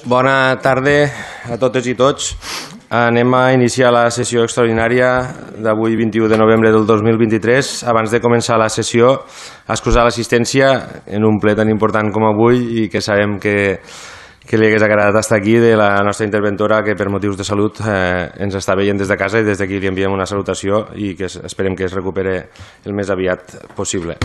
Bona tarda a totes i tots. Anem a iniciar la sessió extraordinària d'avui 21 de novembre del 2023. Abans de començar la sessió, excusar l'assistència en un ple tan important com avui i que sabem que li hagués agradat estar aquí, de la nostra interventora que per motius de salut ens està veient des de casa, i des d'aquí li enviem una salutació i que esperem que es recupere el més aviat possible.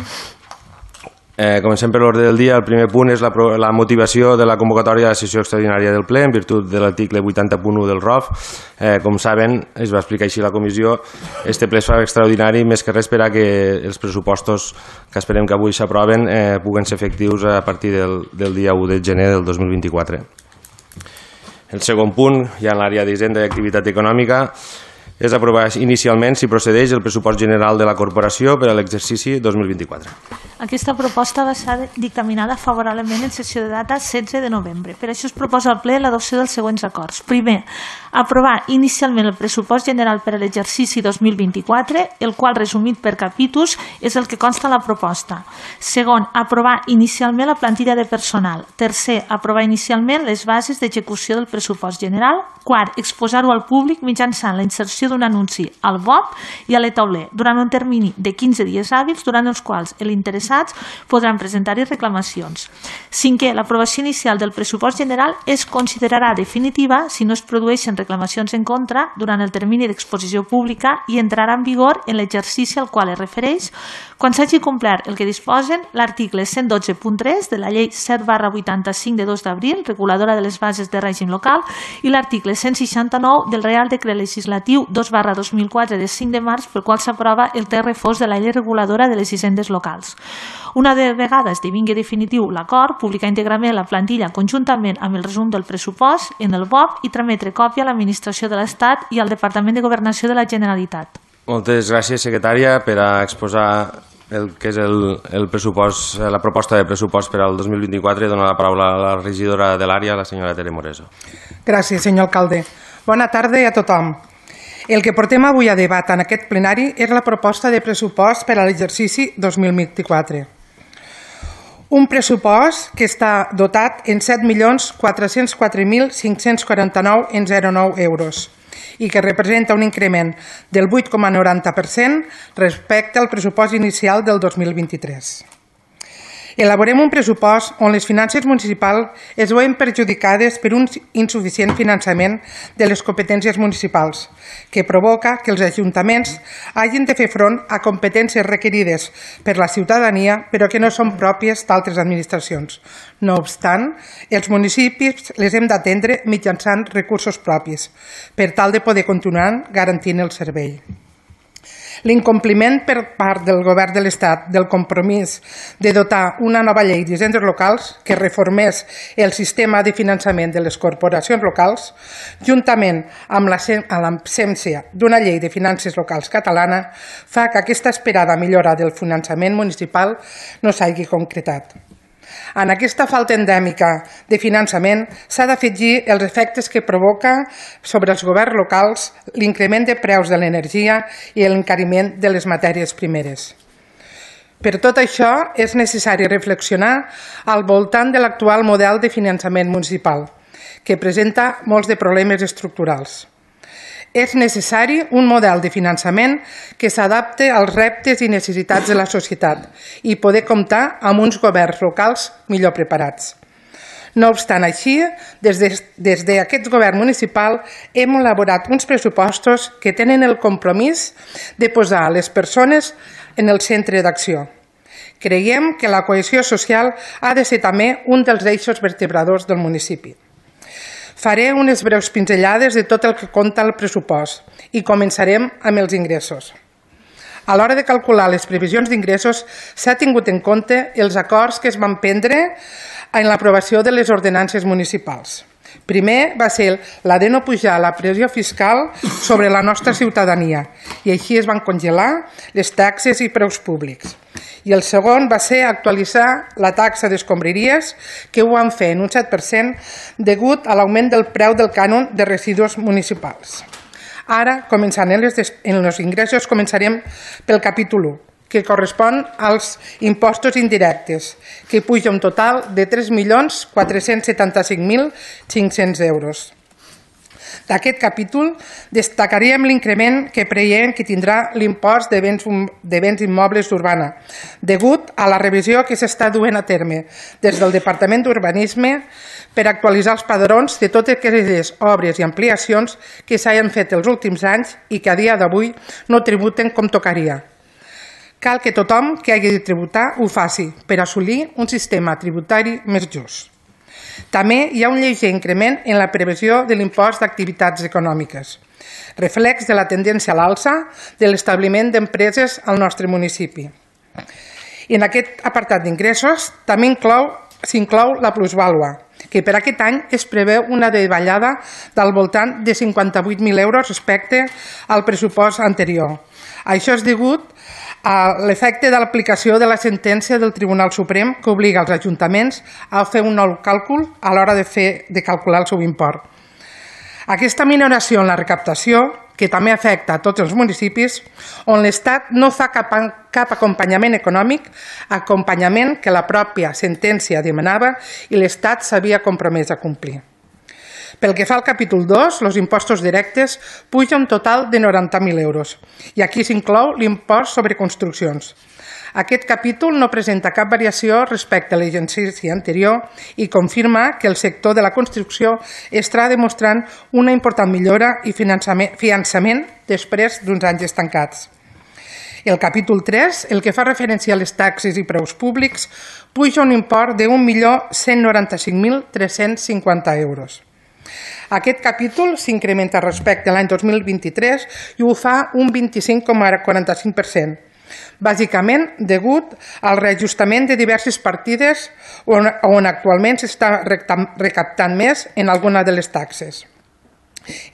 Comencem per l'ordre del dia. El primer punt és la motivació de la convocatòria de la sessió extraordinària del ple en virtut de l'article 80.1 del ROF. Com saben, es va explicar així a la comissió, este ple es fa extraordinari més que res per a que els pressupostos que esperem que avui s'aproven puguen ser efectius a partir del dia 1 de gener del 2024. El segon punt, ja en l'àrea d'Hisenda i Activitat Econòmica, és aprovar inicialment, si procedeix, el pressupost general de la corporació per a l'exercici 2024. Aquesta proposta va ser dictaminada favorablement en sessió de data 16 de novembre. Per això es proposa al ple l'adopció dels següents acords. Primer, aprovar inicialment el pressupost general per a l'exercici 2024, el qual, resumit per capítols, és el que consta a la proposta. Segon, aprovar inicialment la plantilla de personal. Tercer, aprovar inicialment les bases d'execució del pressupost general. Quart, exposar-ho al públic mitjançant la inserció d'un anunci al BOP i a l'e-tauler durant un termini de 15 dies hàbils, durant els quals els interessats podran presentar-hi reclamacions. Cinquè, l'aprovació inicial del pressupost general es considerarà definitiva si no es produeixen reclamacions en contra durant el termini d'exposició pública i entrarà en vigor en l'exercici al qual es refereix quan s'hagi complert el que disposen l'article 112.3 de la llei 7/85 de 2 d'abril, reguladora de les bases de règim local, i l'article 169 del Reial Decret Legislatiu 2/2004 de 5 de març, pel qual s'aprova el text refós de la llei reguladora de les hisendes locals. Una vegada esdevingui definitiu l'acord, publicar íntegrament la plantilla conjuntament amb el resum del pressupost en el BOP i trametre còpia a l'Administració de l'Estat i al Departament de Governació de la Generalitat. Moltes gràcies, secretària, per a exposar el que és el pressupost, la proposta de pressupost per al 2024. Dono la paraula a la regidora de l'àrea, la senyora Tere Moreso. Gràcies, senyor alcalde. Bona tarda a tothom. El que portem avui a debat en aquest plenari és la proposta de pressupost per a l'exercici 2024. Un pressupost que està dotat en 7.404.549,09 euros i que representa un increment del 8,90% respecte al pressupost inicial del 2023. Elaborem un pressupost on les finances municipals es veuen perjudicades per un insuficient finançament de les competències municipals, que provoca que els ajuntaments hagin de fer front a competències requerides per la ciutadania però que no són pròpies d'altres administracions. No obstant, els municipis les hem d'atendre mitjançant recursos propis per tal de poder continuar garantint el servei. L'incompliment per part del Govern de l'Estat del compromís de dotar una nova llei d'hisendes locals que reformés el sistema de finançament de les corporacions locals, juntament amb l'absència d'una llei de finances locals catalana, fa que aquesta esperada millora del finançament municipal no s'hagi concretat. En aquesta falta endèmica de finançament s'ha d'afegir els efectes que provoca sobre els governs locals l'increment de preus de l'energia i l'encariment de les matèries primeres. Per tot això és necessari reflexionar al voltant de l'actual model de finançament municipal, que presenta molts de problemes estructurals. És necessari un model de finançament que s'adapte als reptes i necessitats de la societat i poder comptar amb uns governs locals millor preparats. No obstant així, des d'aquest govern municipal hem elaborat uns pressupostos que tenen el compromís de posar les persones en el centre d'acció. Creiem que la cohesió social ha de ser també un dels eixos vertebradors del municipi. Faré unes breus pinzellades de tot el que compta el pressupost i començarem amb els ingressos. A l'hora de calcular les previsions d'ingressos s'ha tingut en compte els acords que es van prendre en l'aprovació de les ordenances municipals. Primer va ser la de no pujar la pressió fiscal sobre la nostra ciutadania i així es van congelar les taxes i preus públics. I el segon va ser actualitzar la taxa d'escombraries, que ho van fer en un 7% degut a l'augment del preu del cànon de residus municipals. Ara, començant en els ingressos, començarem pel capítol 1, que correspon als impostos indirectes, que puja un total de 3.475.500 euros. D'aquest capítol destacaríem l'increment que preveiem que tindrà l'impost de béns immobles d'Urbana, degut a la revisió que s'està duent a terme des del Departament d'Urbanisme per actualitzar els padrons de totes aquelles obres i ampliacions que s'hagin fet els últims anys i que a dia d'avui no tributen com tocaria. Cal que tothom que hagi de tributar ho faci per assolir un sistema tributari més just. També hi ha un lleuger increment en la previsió de l'impost d'activitats econòmiques, reflex de la tendència a l'alça de l'establiment d'empreses al nostre municipi. I en aquest apartat d'ingressos també s'inclou la plusvàlua, que per aquest any es preveu una davallada del voltant de 58.000 euros respecte al pressupost anterior. Això és degut a l'efecte de l'aplicació de la sentència del Tribunal Suprem que obliga els ajuntaments a fer un nou càlcul a l'hora de calcular el seu import. Aquesta minoració en la recaptació, que també afecta a tots els municipis, on l'Estat no fa cap acompanyament econòmic, acompanyament que la pròpia sentència demanava i l'Estat s'havia compromès a complir. Pel que fa al capítol 2, els impostos directes pugen un total de 90.000 euros i aquí s'inclou l'impost sobre construccions. Aquest capítol no presenta cap variació respecte a l'exercici anterior i confirma que el sector de la construcció està demostrant una important millora i finançament després d'uns anys estancats. El capítol 3, el que fa referència a les taxes i preus públics, puja un import de 1.195.350 euros. Aquest capítol s'incrementa respecte a l'any 2023 i ho fa un 25,45%, bàsicament degut al reajustament de diverses partides on actualment s'està recaptant més en alguna de les taxes.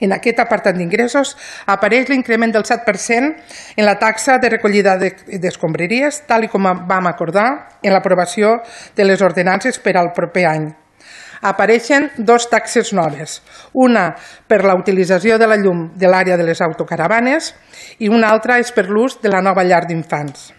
En aquest apartat d'ingressos apareix l'increment del 7% en la taxa de recollida d'escombraries, tal com vam acordar en l'aprovació de les ordenances per al proper any. Apareixen dues taxes noves, una per la utilització de la llum de l'àrea de les autocaravanes i una altra és per l'ús de la nova llar d'infants.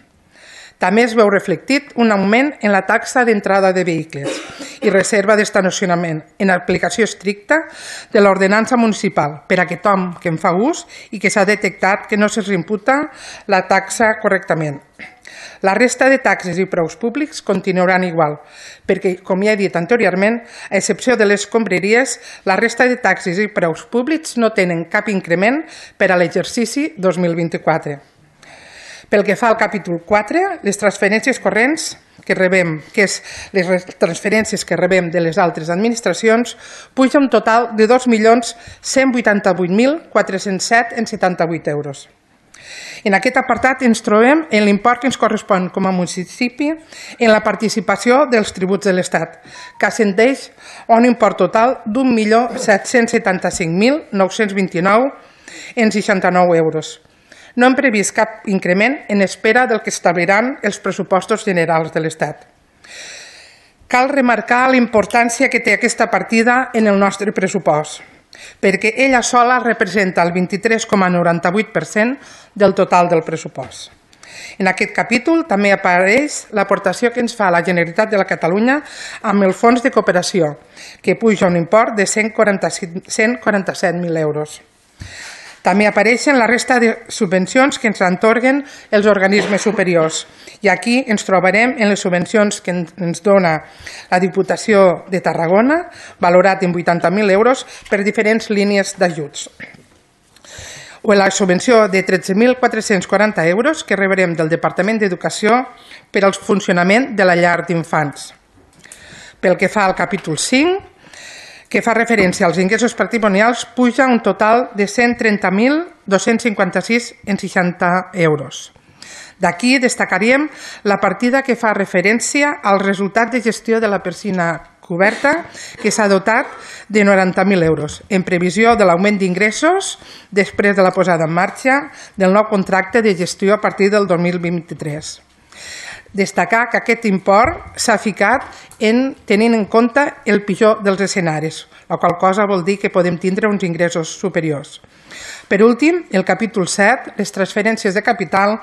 També es veu reflectit un augment en la taxa d'entrada de vehicles i reserva d'estacionament en aplicació estricta de l'ordenança municipal per a tothom que en fa ús i que s'ha detectat que no se'ls imputa la taxa correctament. La resta de taxes i preus públics continuaran igual, perquè, com ja he dit anteriorment, a excepció de les escombraries, la resta de taxes i preus públics no tenen cap increment per a l'exercici 2024. Pel que fa al capítol 4, les transferències corrents que rebem, que és les transferències que rebem de les altres administracions, puja un total de 2.188.407,78 euros. En aquest apartat ens trobem en l'import que ens correspon com a municipi en la participació dels tributs de l'Estat, que ascendeix a un import total d'1.775.929,69 euros. No hem previst cap increment en espera del que establiran els pressupostos generals de l'Estat. Cal remarcar la importància que té aquesta partida en el nostre pressupost, perquè ella sola representa el 23,98% del total del pressupost. En aquest capítol també apareix l'aportació que ens fa la Generalitat de Catalunya amb el Fons de Cooperació, que puja un import de 147.000 euros. També apareixen la resta de subvencions que ens atorguen els organismes superiors. I aquí ens trobarem en les subvencions que ens dona la Diputació de Tarragona, valorat en 80.000 euros per diferents línies d'ajuts. O la subvenció de 13.440 euros que rebrem del Departament d'Educació per al funcionament de la llar d'infants. Pel que fa al capítol 5, que fa referència als ingressos patrimonials, puja un total de 130.256,60 euros. D'aquí destacaríem la partida que fa referència al resultat de gestió de la piscina coberta, que s'ha dotat de 90.000 euros, en previsió de l'augment d'ingressos després de la posada en marxa del nou contracte de gestió a partir del 2023. Destacar que aquest import s'ha ficat tenint en compte el pitjor dels escenaris, la qual cosa vol dir que podem tindre uns ingressos superiors. Per últim, el capítol 7, les transferències de capital,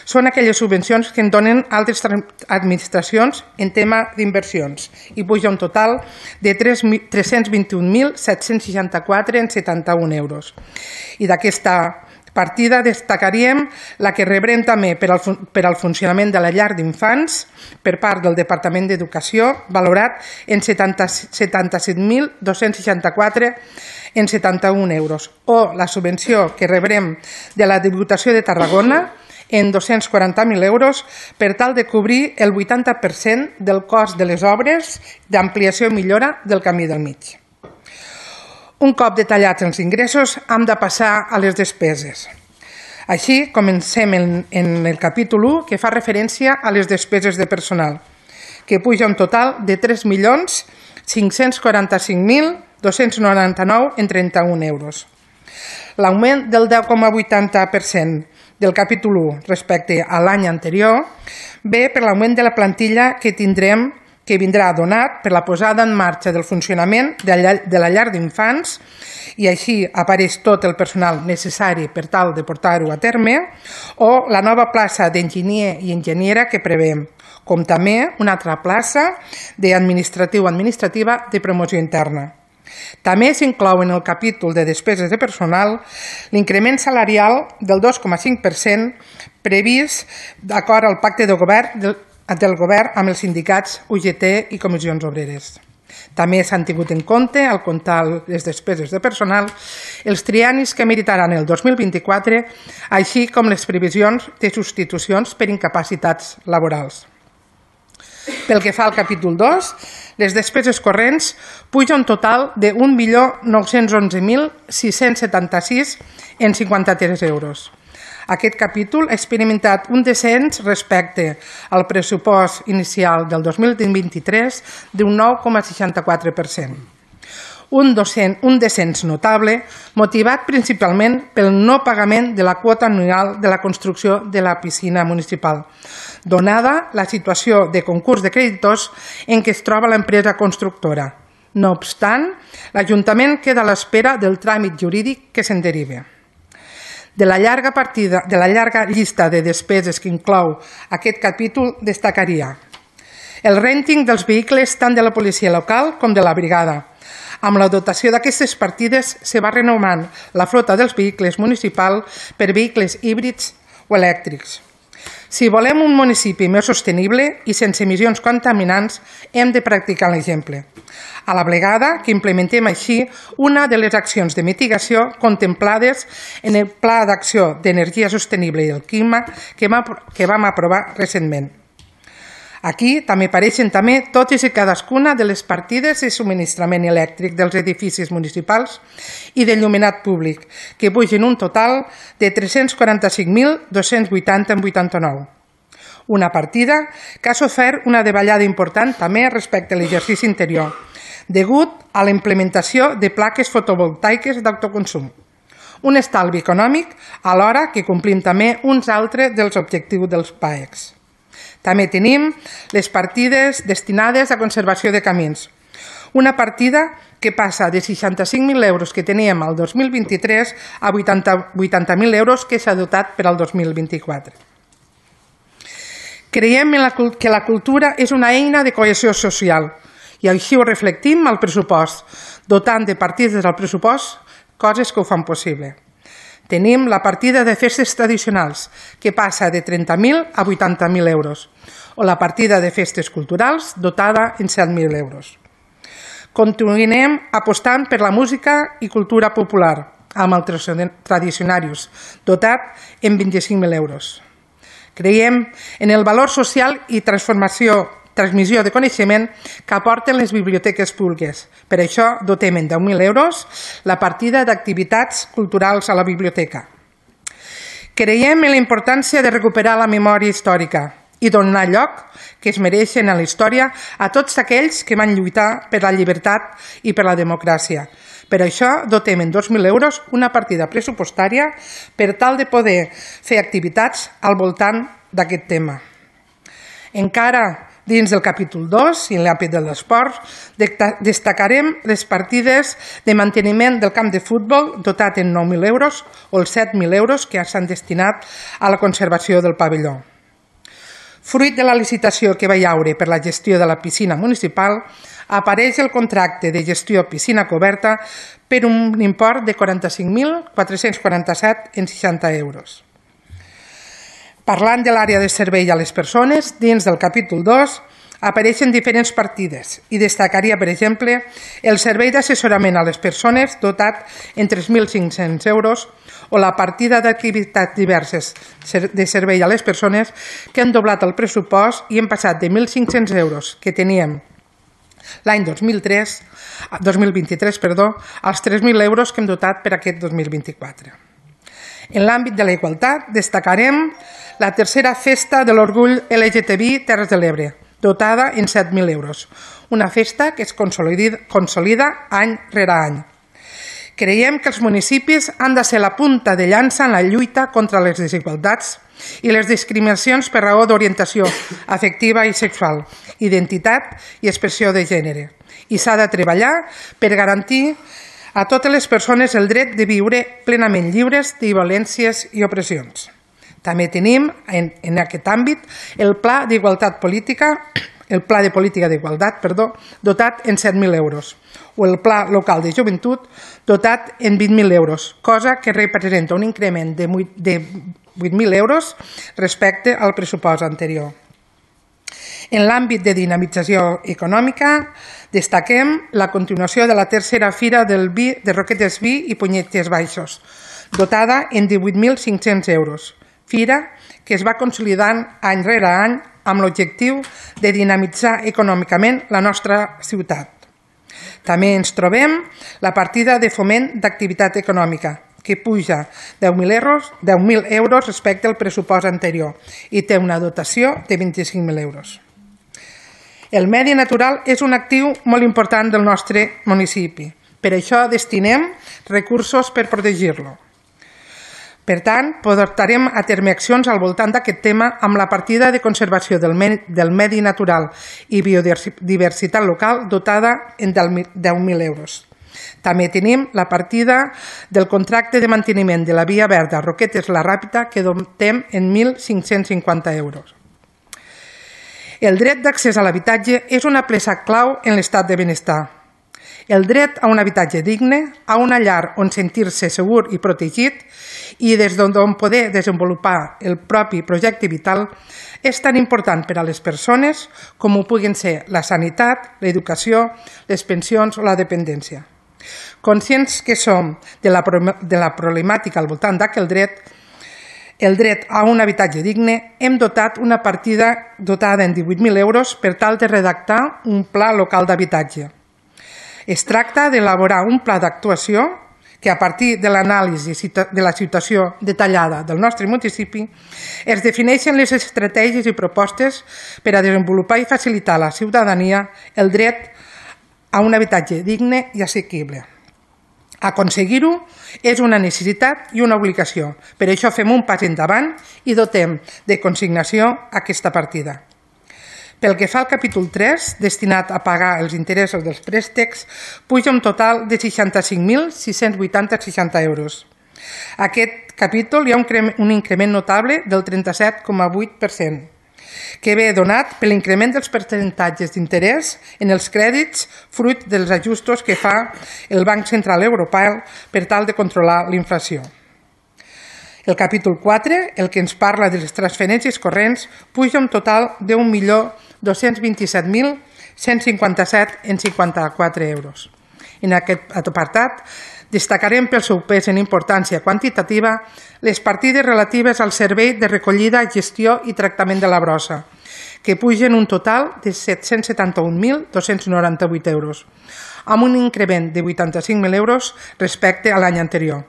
són aquelles subvencions que en donen altres administracions en tema d'inversions i puja un total de 321.764,71 euros. I d'aquesta partida destacaríem la que rebrem també per al funcionament de la llar d'infants per part del Departament d'Educació, valorat en 77.264,71 euros, o la subvenció que rebrem de la Diputació de Tarragona en 240.000 euros per tal de cobrir el 80% del cost de les obres d'ampliació i millora del Camí del Mig. Un cop detallats els ingressos, hem de passar a les despeses. Així, comencem en el capítol 1, que fa referència a les despeses de personal, que puja un total de 3.545.299,31 euros. L'augment del 10,80% del capítol 1 respecte a l'any anterior ve per l'augment de la plantilla que vindrà donat per la posada en marxa del funcionament de la llar d'infants i així apareix tot el personal necessari per tal de portar-ho a terme, o la nova plaça d'enginyer i enginyera que preveiem, com també una altra plaça d'administrativa de promoció interna. També s'inclou en el capítol de despeses de personal l'increment salarial del 2,5% previst d'acord al pacte de govern del govern amb els sindicats UGT i comissions obreres. També s'han tingut en compte, al comptar les despeses de personal, els triennis que meritaran el 2024, així com les previsions de substitucions per incapacitats laborals. Pel que fa al capítol 2, les despeses corrents puja un total de 1.911.676,53 euros. Aquest capítol ha experimentat un descens respecte al pressupost inicial del 2023 d'un 9,64%. Un descens notable motivat principalment pel no pagament de la quota anual de la construcció de la piscina municipal, donada la situació de concurs de creditors en què es troba l'empresa constructora. No obstant, l'Ajuntament queda a l'espera del tràmit jurídic que se'n deriva. De la llarga llista de despeses que inclou aquest capítol destacaria el renting dels vehicles tant de la policia local com de la brigada. Amb la dotació d'aquestes partides se va renovant la flota dels vehicles municipals per vehicles híbrids o elèctrics. Si volem un municipi més sostenible i sense emissions contaminants, hem de practicar l'exemple. A la vegada que implementem així una de les accions de mitigació contemplades en el Pla d'Acció d'Energia Sostenible i el Clima que vam aprovar recentment. Aquí també apareixen totes i cadascuna de les partides de subministrament elèctric dels edificis municipals i d'enllumenat públic, que pugen un total de 345.280,89. Una partida que ha sofert una davallada important també respecte a l'exercici interior, degut a la implementació de plaques fotovoltaiques d'autoconsum. Un estalvi econòmic alhora que complim també uns altres dels objectius dels PAECs. També tenim les partides destinades a conservació de camins. Una partida que passa de 65.000 euros que teníem al 2023 a 80.000 euros que s'ha dotat per al 2024. Creiem que la cultura és una eina de cohesió social i així ho reflectim al pressupost, dotant de partides al pressupost coses que ho fan possible. Tenim la partida de festes tradicionals, que passa de 30.000 a 80.000 euros, o la partida de festes culturals, dotada en 7.000 euros. Continuem apostant per la música i cultura popular, amb els tradicionarius, dotat en 25.000 euros. Creiem en el valor social i transmissió de coneixement que aporten les biblioteques públiques. Per això dotem en 10.000 euros la partida d'activitats culturals a la biblioteca. Creiem en la importància de recuperar la memòria històrica i donar lloc que es mereixen a la història a tots aquells que van lluitar per la llibertat i per la democràcia. Per això dotem en 2.000 euros una partida pressupostària per tal de poder fer activitats al voltant d'aquest tema. Encara dins del capítol 2 i en l'àmbit de l'esport, destacarem les partides de manteniment del camp de futbol dotat en 9.000 euros o els 7.000 euros que s'han destinat a la conservació del pavelló. Fruit de la licitació que va hi haure per la gestió de la piscina municipal, apareix el contracte de gestió piscina coberta per un import de 45.447,60 euros. Parlant de l'àrea de servei a les persones, dins del capítol 2 apareixen diferents partides i destacaria, per exemple, el servei d'assessorament a les persones dotat en 3.500 euros o la partida d'activitats diverses de servei a les persones que han doblat el pressupost i hem passat de 1.500 euros que teníem l'any 2023 als 3.000 euros que hem dotat per aquest 2024. En l'àmbit de la igualtat destacarem la tercera festa de l'orgull LGTBI Terres de l'Ebre, dotada en 7.000 euros, una festa que es consolida any rere any. Creiem que els municipis han de ser la punta de llança en la lluita contra les desigualtats i les discriminacions per raó d'orientació afectiva i sexual, identitat i expressió de gènere. I s'ha de treballar per garantir a totes les persones el dret de viure plenament lliures de violències i opressions. També tenim en aquest àmbit el Pla de Política d'Igualtat, dotat en 7.000 euros, o el Pla Local de Joventut dotat en 20.000 euros, cosa que representa un increment de 8.000 euros respecte al pressupost anterior. En l'àmbit de dinamització econòmica, destaquem la continuació de la tercera fira del vi de Roquetes Vi i Punyetes Baixos, dotada en 18.500 euros. Fira que es va consolidant any rere any amb l'objectiu de dinamitzar econòmicament la nostra ciutat. També ens trobem la partida de foment d'activitat econòmica, que puja 10.000 euros respecte al pressupost anterior i té una dotació de 25.000 euros. El medi natural és un actiu molt important del nostre municipi. Per això destinem recursos per protegir-lo. Per tant, portarem a terme accions al voltant d'aquest tema amb la partida de conservació del medi natural i biodiversitat local dotada en 10.000 euros. També tenim la partida del contracte de manteniment de la via verda Roquetes-La Ràpita que dotem en 1.550 euros. El dret d'accés a l'habitatge és una peça clau en l'estat de benestar. El dret a un habitatge digne, a una llar on sentir-se segur i protegit i des d'on poder desenvolupar el propi projecte vital és tan important per a les persones com ho puguin ser la sanitat, l'educació, les pensions o la dependència. Conscients que som de la problemàtica al voltant d'aquest dret, el dret a un habitatge digne, hem dotat una partida dotada en 18.000 euros per tal de redactar un pla local d'habitatge. Es tracta d'elaborar un pla d'actuació que, a partir de l'anàlisi de la situació detallada del nostre municipi, es defineixen les estratègies i propostes per a desenvolupar i facilitar a la ciutadania el dret a un habitatge digne i assequible. Aconseguir-ho és una necessitat i una obligació. Per això fem un pas endavant i dotem de consignació aquesta partida. Pel que fa al capítol 3, destinat a pagar els interessos dels préstecs, puja un total de 65.680,60 euros. A aquest capítol hi ha un increment notable del 37,8%, que ve donat per l'increment dels percentatges d'interès en els crèdits fruit dels ajustos que fa el Banc Central Europeu per tal de controlar la inflació. El capítol 4, el que ens parla de les transferències corrents, puja un total de 1.227.157,54 euros. En aquest apartat destacarem pel seu pes en importància quantitativa les partides relatives al servei de recollida, gestió i tractament de la brossa, que pugen un total de 771.298 euros, amb un increment de 85.000 euros respecte a l'any anterior.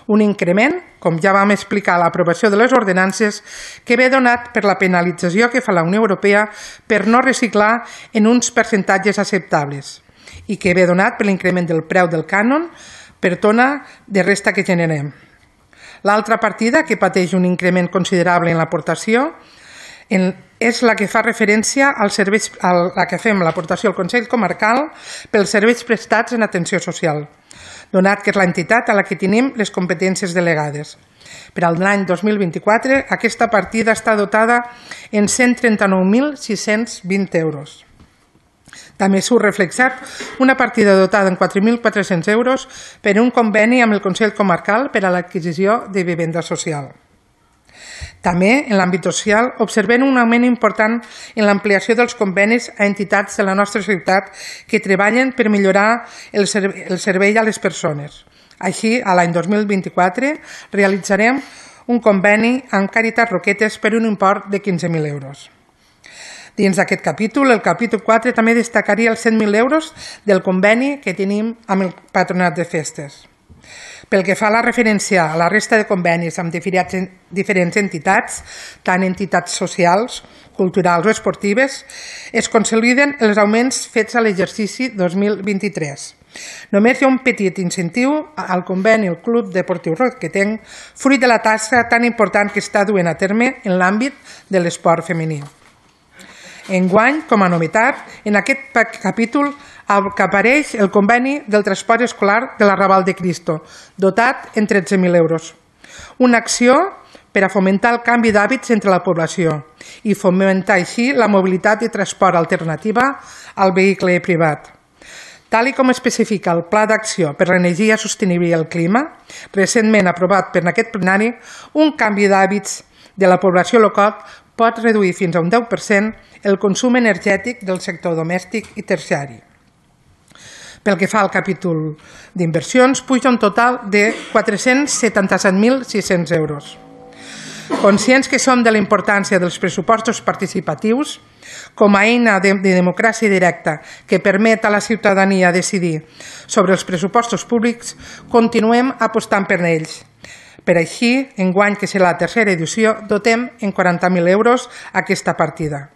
Un increment, com ja vam explicar a l'aprovació de les ordenances, que ve donat per la penalització que fa la Unió Europea per no reciclar en uns percentatges acceptables i que ve donat per l'increment del preu del cànon per tona de resta que generem. L'altra partida, que pateix un increment considerable en l'aportació, és la que fa referència als serveis, a la que fem l'aportació al Consell Comarcal pels serveis prestats en atenció social, donat que és l'entitat a la que tenim les competències delegades. Per a l'any 2024, aquesta partida està dotada en 139.620 euros. També surt reflexat una partida dotada en 4.400 euros per un conveni amb el Consell Comarcal per a l'adquisició de vivenda social. També, en l'àmbit social, observem un augment important en l'ampliació dels convenis a entitats de la nostra ciutat que treballen per millorar el servei a les persones. Així, a l'any 2024, realitzarem un conveni amb Càritas Roquetes per un import de 15.000 euros. Dins d'aquest capítol, el capítol 4 també destacaria els 100.000 euros del conveni que tenim amb el Patronat de Festes. Pel que fa a la referència a la resta de convenis amb diferents entitats, tant entitats socials, culturals o esportives, es consoliden els augments fets a l'exercici 2023. Només hi ha un petit incentiu al conveni el Club Deportiu Roquetenc, fruit de la tasca tan important que està duent a terme en l'àmbit de l'esport femení. Enguany, com a novetat, en aquest capítol apareix el conveni del transport escolar de l'Arrabal de Cristo, dotat en 13.000 euros. Una acció per a fomentar el canvi d'hàbits entre la població i fomentar així la mobilitat i transport alternativa al vehicle privat. Tal com especifica el Pla d'Acció per l'Energia Sostenible i el Clima, recentment aprovat per aquest plenari, un canvi d'hàbits de la població local pot reduir fins a un 10% el consum energètic del sector domèstic i terciari. Pel que fa al capítol d'inversions, puja un total de 477.600 euros. Conscients que som de la importància dels pressupostos participatius com a eina de democràcia directa que permet a la ciutadania decidir sobre els pressupostos públics, continuem apostant per ells. Per així, enguany, que serà la tercera edició, dotem en 40.000 euros aquesta partida.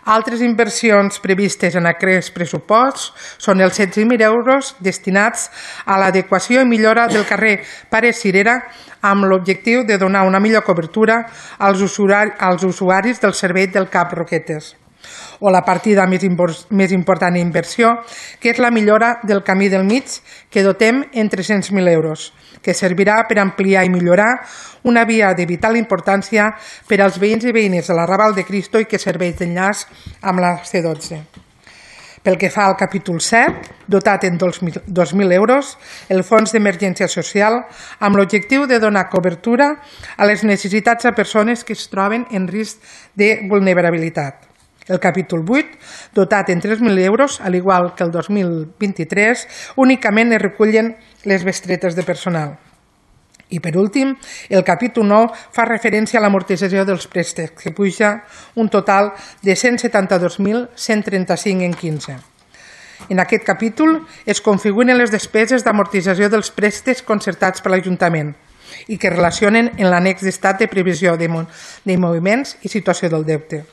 Altres inversions previstes en aquests pressuposts són els 16.000 euros destinats a l'adequació i millora del carrer Pare Cirera amb l'objectiu de donar una millor cobertura als usuaris del servei del CAP Roquetes. O la partida més important d'inversió, que és la millora del camí del mig, que dotem en 300.000 euros, que servirà per ampliar i millorar una via de vital importància per als veïns i veïnes de l'Arrabal de Cristo i que serveix d'enllaç amb la C12. Pel que fa al capítol 7, dotat en 2.000 euros, el Fons d'Emergència Social, amb l'objectiu de donar cobertura a les necessitats de persones que es troben en risc de vulnerabilitat. El capítol 8, dotat en 3.000 euros, al igual que el 2023, únicament es recullen les bestretes de personal. I per últim, el capítol 9 fa referència a l'amortització dels préstecs, que puja un total de 172.135 en 15. En aquest capítol es configuren les despeses d'amortització dels préstecs concertats per l'Ajuntament i que relacionen en l'annex d'estat de previsió de moviments i situació del deute.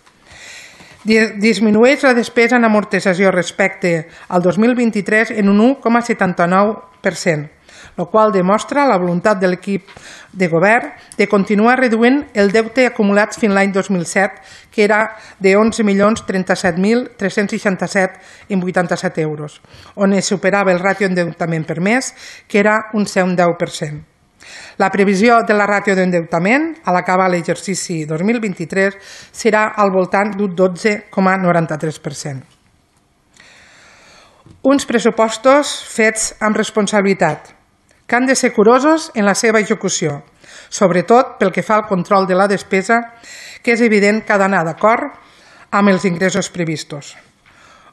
Disminueix la despesa en amortització respecte al 2023 en un 1,79%, el qual demostra la voluntat de l'equip de govern de continuar reduint el deute acumulat fins l'any 2007, que era de 11.037.367,87 euros, on es superava el ràtio d'endeutament permès, que era un 10%. La previsió de la ràtio d'endeutament a l'acabar l'exercici 2023 serà al voltant d'un 12,93%. Uns pressupostos fets amb responsabilitat, que han de ser curosos en la seva execució, sobretot pel que fa al control de la despesa, que és evident que ha d'anar d'acord amb els ingressos previstos.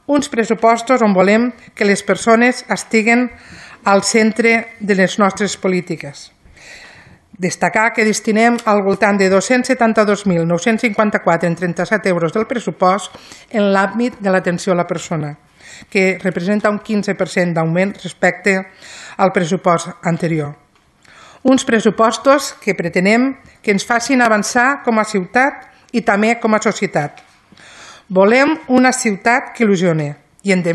Uns pressupostos on volem que les persones estiguen al centre de les nostres polítiques. Destacar que destinem al voltant de 272.954,37 euros del pressupost en l'àmbit de l'atenció a la persona, que representa un 15% d'augment respecte al pressupost anterior. Uns pressupostos que pretenem que ens facin avançar com a ciutat i també com a societat. Volem una ciutat que il·lusione i, en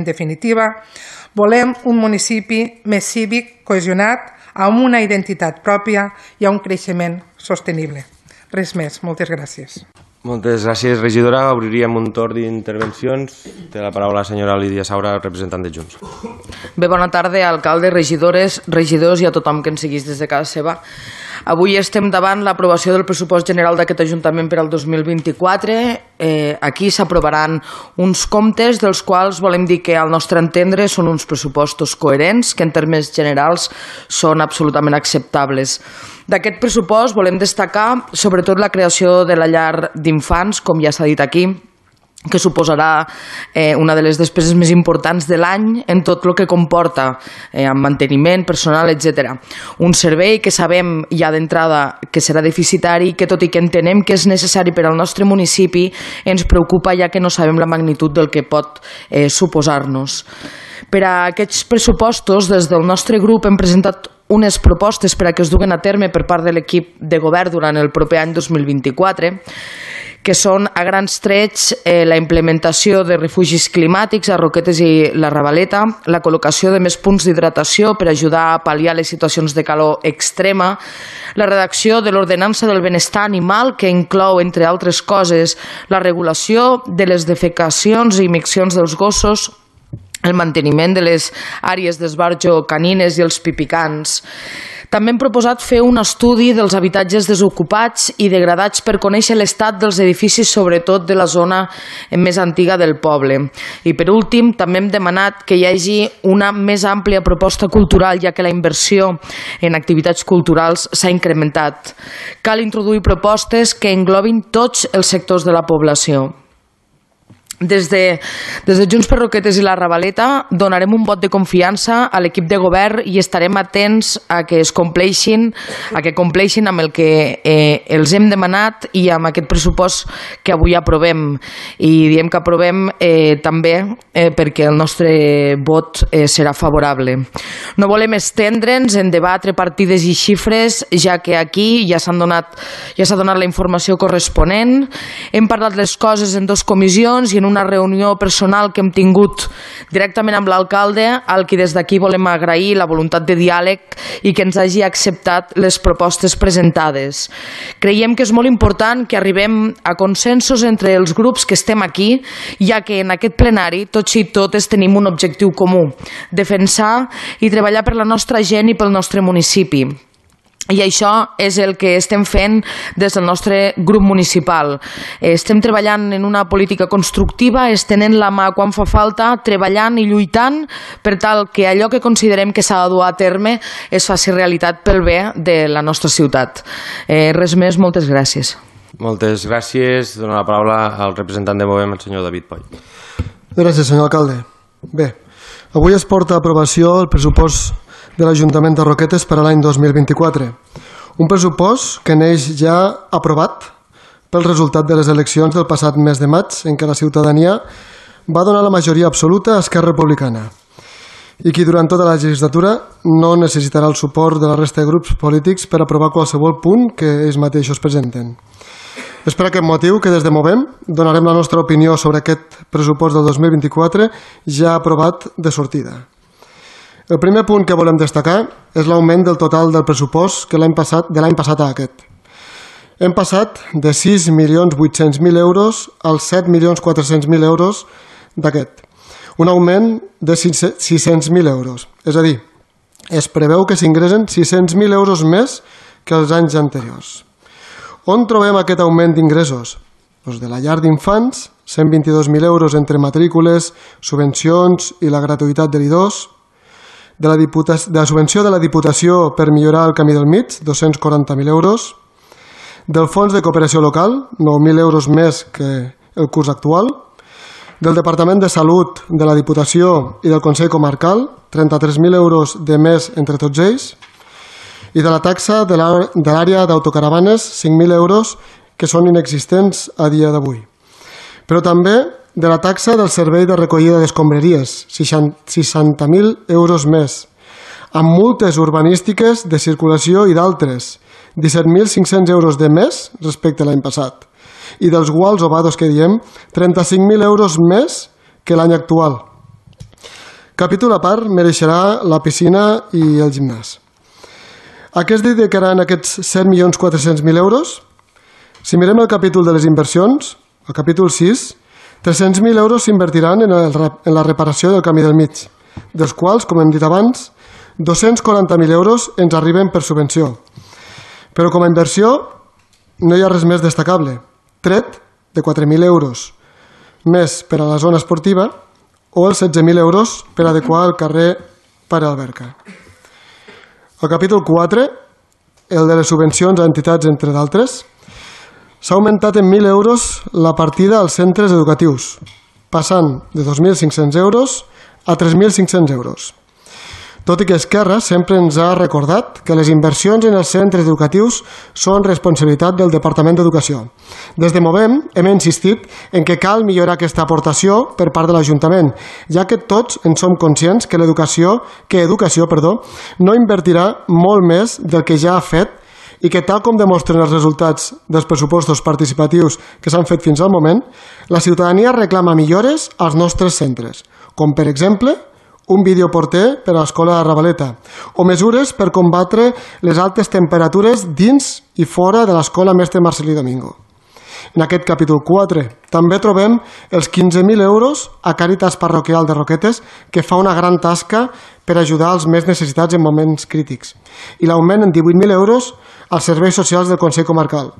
definitiva, volem un municipi més cívic, cohesionat, amb una identitat pròpia i a un creixement sostenible. Res més. Moltes gràcies. Moltes gràcies, regidora. Obriríem un torn d'intervencions. Té la paraula la senyora Lídia Saura, representant de Junts. Bé, bona tarda, alcalde, regidores, regidors i a tothom que ens seguís des de casa seva. Avui estem davant l'aprovació del pressupost general d'aquest Ajuntament per al 2024. Aquí s'aprovaran uns comptes dels quals volem dir que al nostre entendre són uns pressupostos coherents que en termes generals són absolutament acceptables. D'aquest pressupost volem destacar sobretot la creació de la llar d'infants, com ja s'ha dit aquí, que suposarà una de les despeses més importants de l'any en tot el que comporta amb manteniment, personal, etc. Un servei que sabem ja d'entrada que serà deficitari i que tot i que entenem que és necessari per al nostre municipi ens preocupa ja que no sabem la magnitud del que pot suposar-nos. Per a aquests pressupostos, des del nostre grup hem presentat unes propostes per a que es duguen a terme per part de l'equip de govern durant el proper any 2024, que són a grans trets la implementació de refugis climàtics a Roquetes i la Ravaleta, la col·locació de més punts d'hidratació per ajudar a pal·liar les situacions de calor extrema, la redacció de l'ordenança del benestar animal, que inclou, entre altres coses, la regulació de les defecacions i miccions dels gossos, el manteniment de les àrees d'esbarjo canines i els pipicans. També hem proposat fer un estudi dels habitatges desocupats i degradats per conèixer l'estat dels edificis, sobretot de la zona més antiga del poble. I per últim, també hem demanat que hi hagi una més àmplia proposta cultural, ja que la inversió en activitats culturals s'ha incrementat. Cal introduir propostes que englobin tots els sectors de la població. Des de Junts per Roquetes i la Ravaleta donarem un vot de confiança a l'equip de govern i estarem atents a que compleixin amb el que els hem demanat i amb aquest pressupost que avui aprovem. I diem que aprovem també perquè el nostre vot serà favorable. No volem estendre'ns en debatre partides i xifres, ja que aquí ja s'ha donat la informació corresponent. Hem parlat les coses en 2 comissions i en una reunió personal que hem tingut directament amb l'alcalde, al qui des d'aquí volem agrair la voluntat de diàleg i que ens hagi acceptat les propostes presentades. Creiem que és molt important que arribem a consensos entre els grups que estem aquí, ja que en aquest plenari tots i totes tenim un objectiu comú: defensar i treballar per la nostra gent i pel nostre municipi. I això és el que estem fent des del nostre grup municipal. Estem treballant en una política constructiva, estenent la mà quan fa falta, treballant i lluitant per tal que allò que considerem que s'ha de dur a terme es faci realitat pel bé de la nostra ciutat. Res més, moltes gràcies. Moltes gràcies. Dono la paraula al representant de Movem, el senyor David Poll. Gràcies, senyor alcalde. Bé, avui es porta a aprovació el pressupost de l'Ajuntament de Roquetes per a l'any 2024. Un pressupost que neix ja aprovat pel resultat de les eleccions del passat mes de maig, en què la ciutadania va donar la majoria absoluta a Esquerra Republicana i qui durant tota la legislatura no necessitarà el suport de la resta de grups polítics per aprovar qualsevol punt que ells mateixos presenten. És per aquest motiu que des de Movem donarem la nostra opinió sobre aquest pressupost del 2024 ja aprovat de sortida. El primer punt que volem destacar és l'augment del total del pressupost de l'any passat a aquest. Hem passat de 6.800.000 euros als 7.400.000 euros d'aquest. Un augment de 600.000 euros. És a dir, es preveu que s'ingressen 600.000 euros més que els anys anteriors. On trobem aquest augment d'ingressos? Doncs de la llar d'infants, 122.000 euros entre matrícules, subvencions i la gratuïtat de l'I2, de la subvenció de la Diputació per millorar el camí del mig, 240.000 euros, del Fons de Cooperació Local, 9.000 euros més que el curs actual, del Departament de Salut de la Diputació i del Consell Comarcal, 33.000 euros de més entre tots ells, i de la taxa de l'àrea d'autocaravanes, 5.000 euros, que són inexistents a dia d'avui. Però també de la taxa del servei de recollida d'escombraries, 60.000 euros més, amb multes urbanístiques de circulació i d'altres, 17.500 euros de més respecte a l'any passat, i dels guals o vados que diem, 35.000 euros més que l'any actual. Capítol a part mereixerà la piscina i el gimnàs. A què es dedicaran aquests 7.400.000 euros? Si mirem el capítol de les inversions, el capítol 6, 300.000 euros s'invertiran en la reparació del camí del mig, dels quals, com hem dit abans, 240.000 euros ens arriben per subvenció. Però com a inversió no hi ha res més destacable, tret de 4.000 euros més per a la zona esportiva o els 16.000 euros per adequar el carrer Pare Alberca. El capítol 4, el de les subvencions a entitats, entre d'altres, s'ha augmentat en 1.000 euros la partida als centres educatius, passant de 2.500 euros a 3.500 euros. Tot i que Esquerra sempre ens ha recordat que les inversions en els centres educatius són responsabilitat del Departament d'Educació. Des de Movem hem insistit en que cal millorar aquesta aportació per part de l'Ajuntament, ja que tots en som conscients que Educació no invertirà molt més del que ja ha fet i que, tal com demostren els resultats dels pressupostos participatius que s'han fet fins al moment, la ciutadania reclama millores als nostres centres, com per exemple un videoporter per a l'escola de Ravaleta o mesures per combatre les altes temperatures dins i fora de l'escola Mestre Marcelí Domingo. En aquest capítol 4 també trobem els 15.000 euros a Càritas Parroquial de Roquetes, que fa una gran tasca per ajudar els més necessitats en moments crítics, i l'augment en 18.000 euros als serveis socials del Consell Comarcal.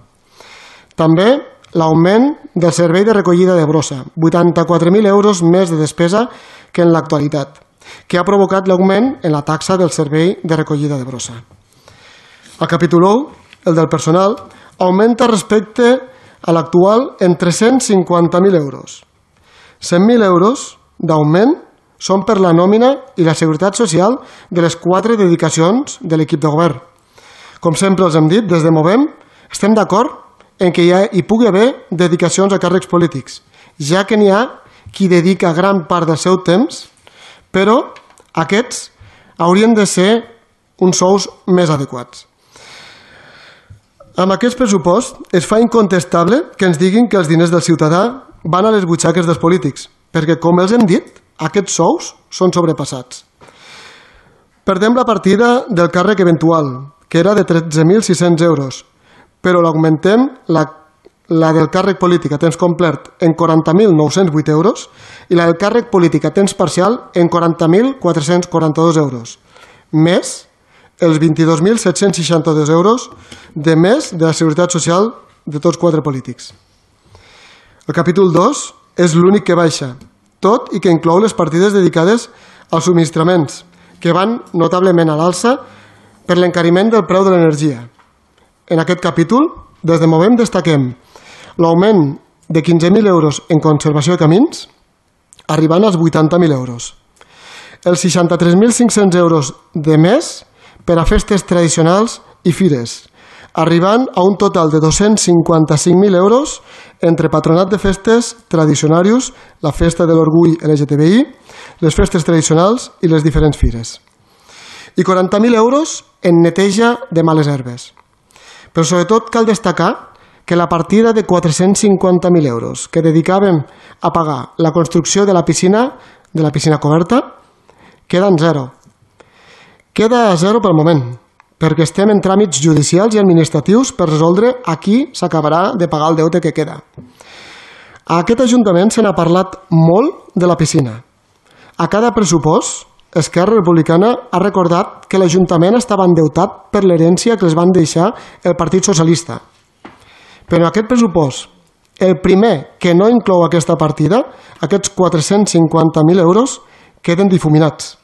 També l'augment del servei de recollida de brossa, 84.000 euros més de despesa que en l'actualitat, que ha provocat l'augment en la taxa del servei de recollida de brossa. El capítol 1, el del personal, augmenta respecte a l'actual en 350.000 euros. 100.000 euros d'augment són per la nòmina i la seguretat social de les 4 dedicacions de l'equip de govern. Com sempre els hem dit, des de Movem estem d'acord en que hi pugui haver dedicacions a càrrecs polítics, ja que n'hi ha qui dedica gran part del seu temps, però aquests haurien de ser uns sous més adequats. Amb aquest pressupost es fa incontestable que ens diguin que els diners del ciutadà van a les butxaques dels polítics, perquè, com els hem dit, aquests sous són sobrepassats. Perdem la partida del càrrec eventual, que era de 13.600 euros, però l'augmentem la del càrrec polític a temps complet en 40.908 euros i la del càrrec polític a temps parcial en 40.442 euros, més els 22.762 euros de més de la seguretat social de tots 4 polítics. El capítol 2 és l'únic que baixa, tot i que inclou les partides dedicades als subministraments, que van notablement a l'alça per l'encariment del preu de l'energia. En aquest capítol, des de Movem destaquem l'augment de 15.000 euros en conservació de camins, arribant als 80.000 euros. Els 63.500 euros de més per a festes tradicionals i fires, arribant a un total de 255.000 euros entre patronat de festes, tradicionarius, la festa de l'orgull LGTBI, les festes tradicionals i les diferents fires. I 40.000 euros en neteja de males herbes. Però sobretot cal destacar que la partida de 450.000 euros que dedicàvem a pagar la construcció de la piscina coberta queda en zero. Queda a zero pel moment, perquè estem en tràmits judicials i administratius per resoldre a qui s'acabarà de pagar el deute que queda. A aquest Ajuntament se n'ha parlat molt de la piscina. A cada pressupost, Esquerra Republicana ha recordat que l'Ajuntament estava endeutat per l'herència que els van deixar el Partit Socialista. Però en aquest pressupost, el primer que no inclou aquesta partida, aquests 450.000 euros, queden difuminats.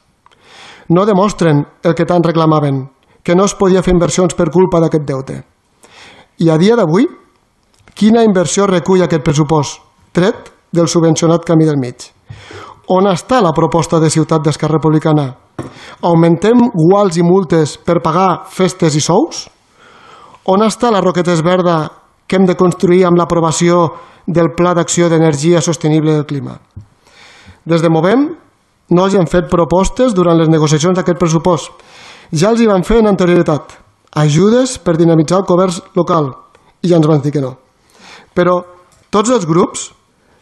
No demostren el que tant reclamaven, que no es podia fer inversions per culpa d'aquest deute. I a dia d'avui, quina inversió recull aquest pressupost, tret del subvencionat camí del mig? On està la proposta de Ciutat d'Esquerra Republicana? Augmentem guals i multes per pagar festes i sous? On està la Roquetes Verda que hem de construir amb l'aprovació del Pla d'Acció d'Energia Sostenible del Clima? Des de Movem no els han fet propostes durant les negociacions d'aquest pressupost. Ja els hi van fer en anterioritat. Ajudes per dinamitzar el comerç local. I ja ens van dir que no. Però tots els grups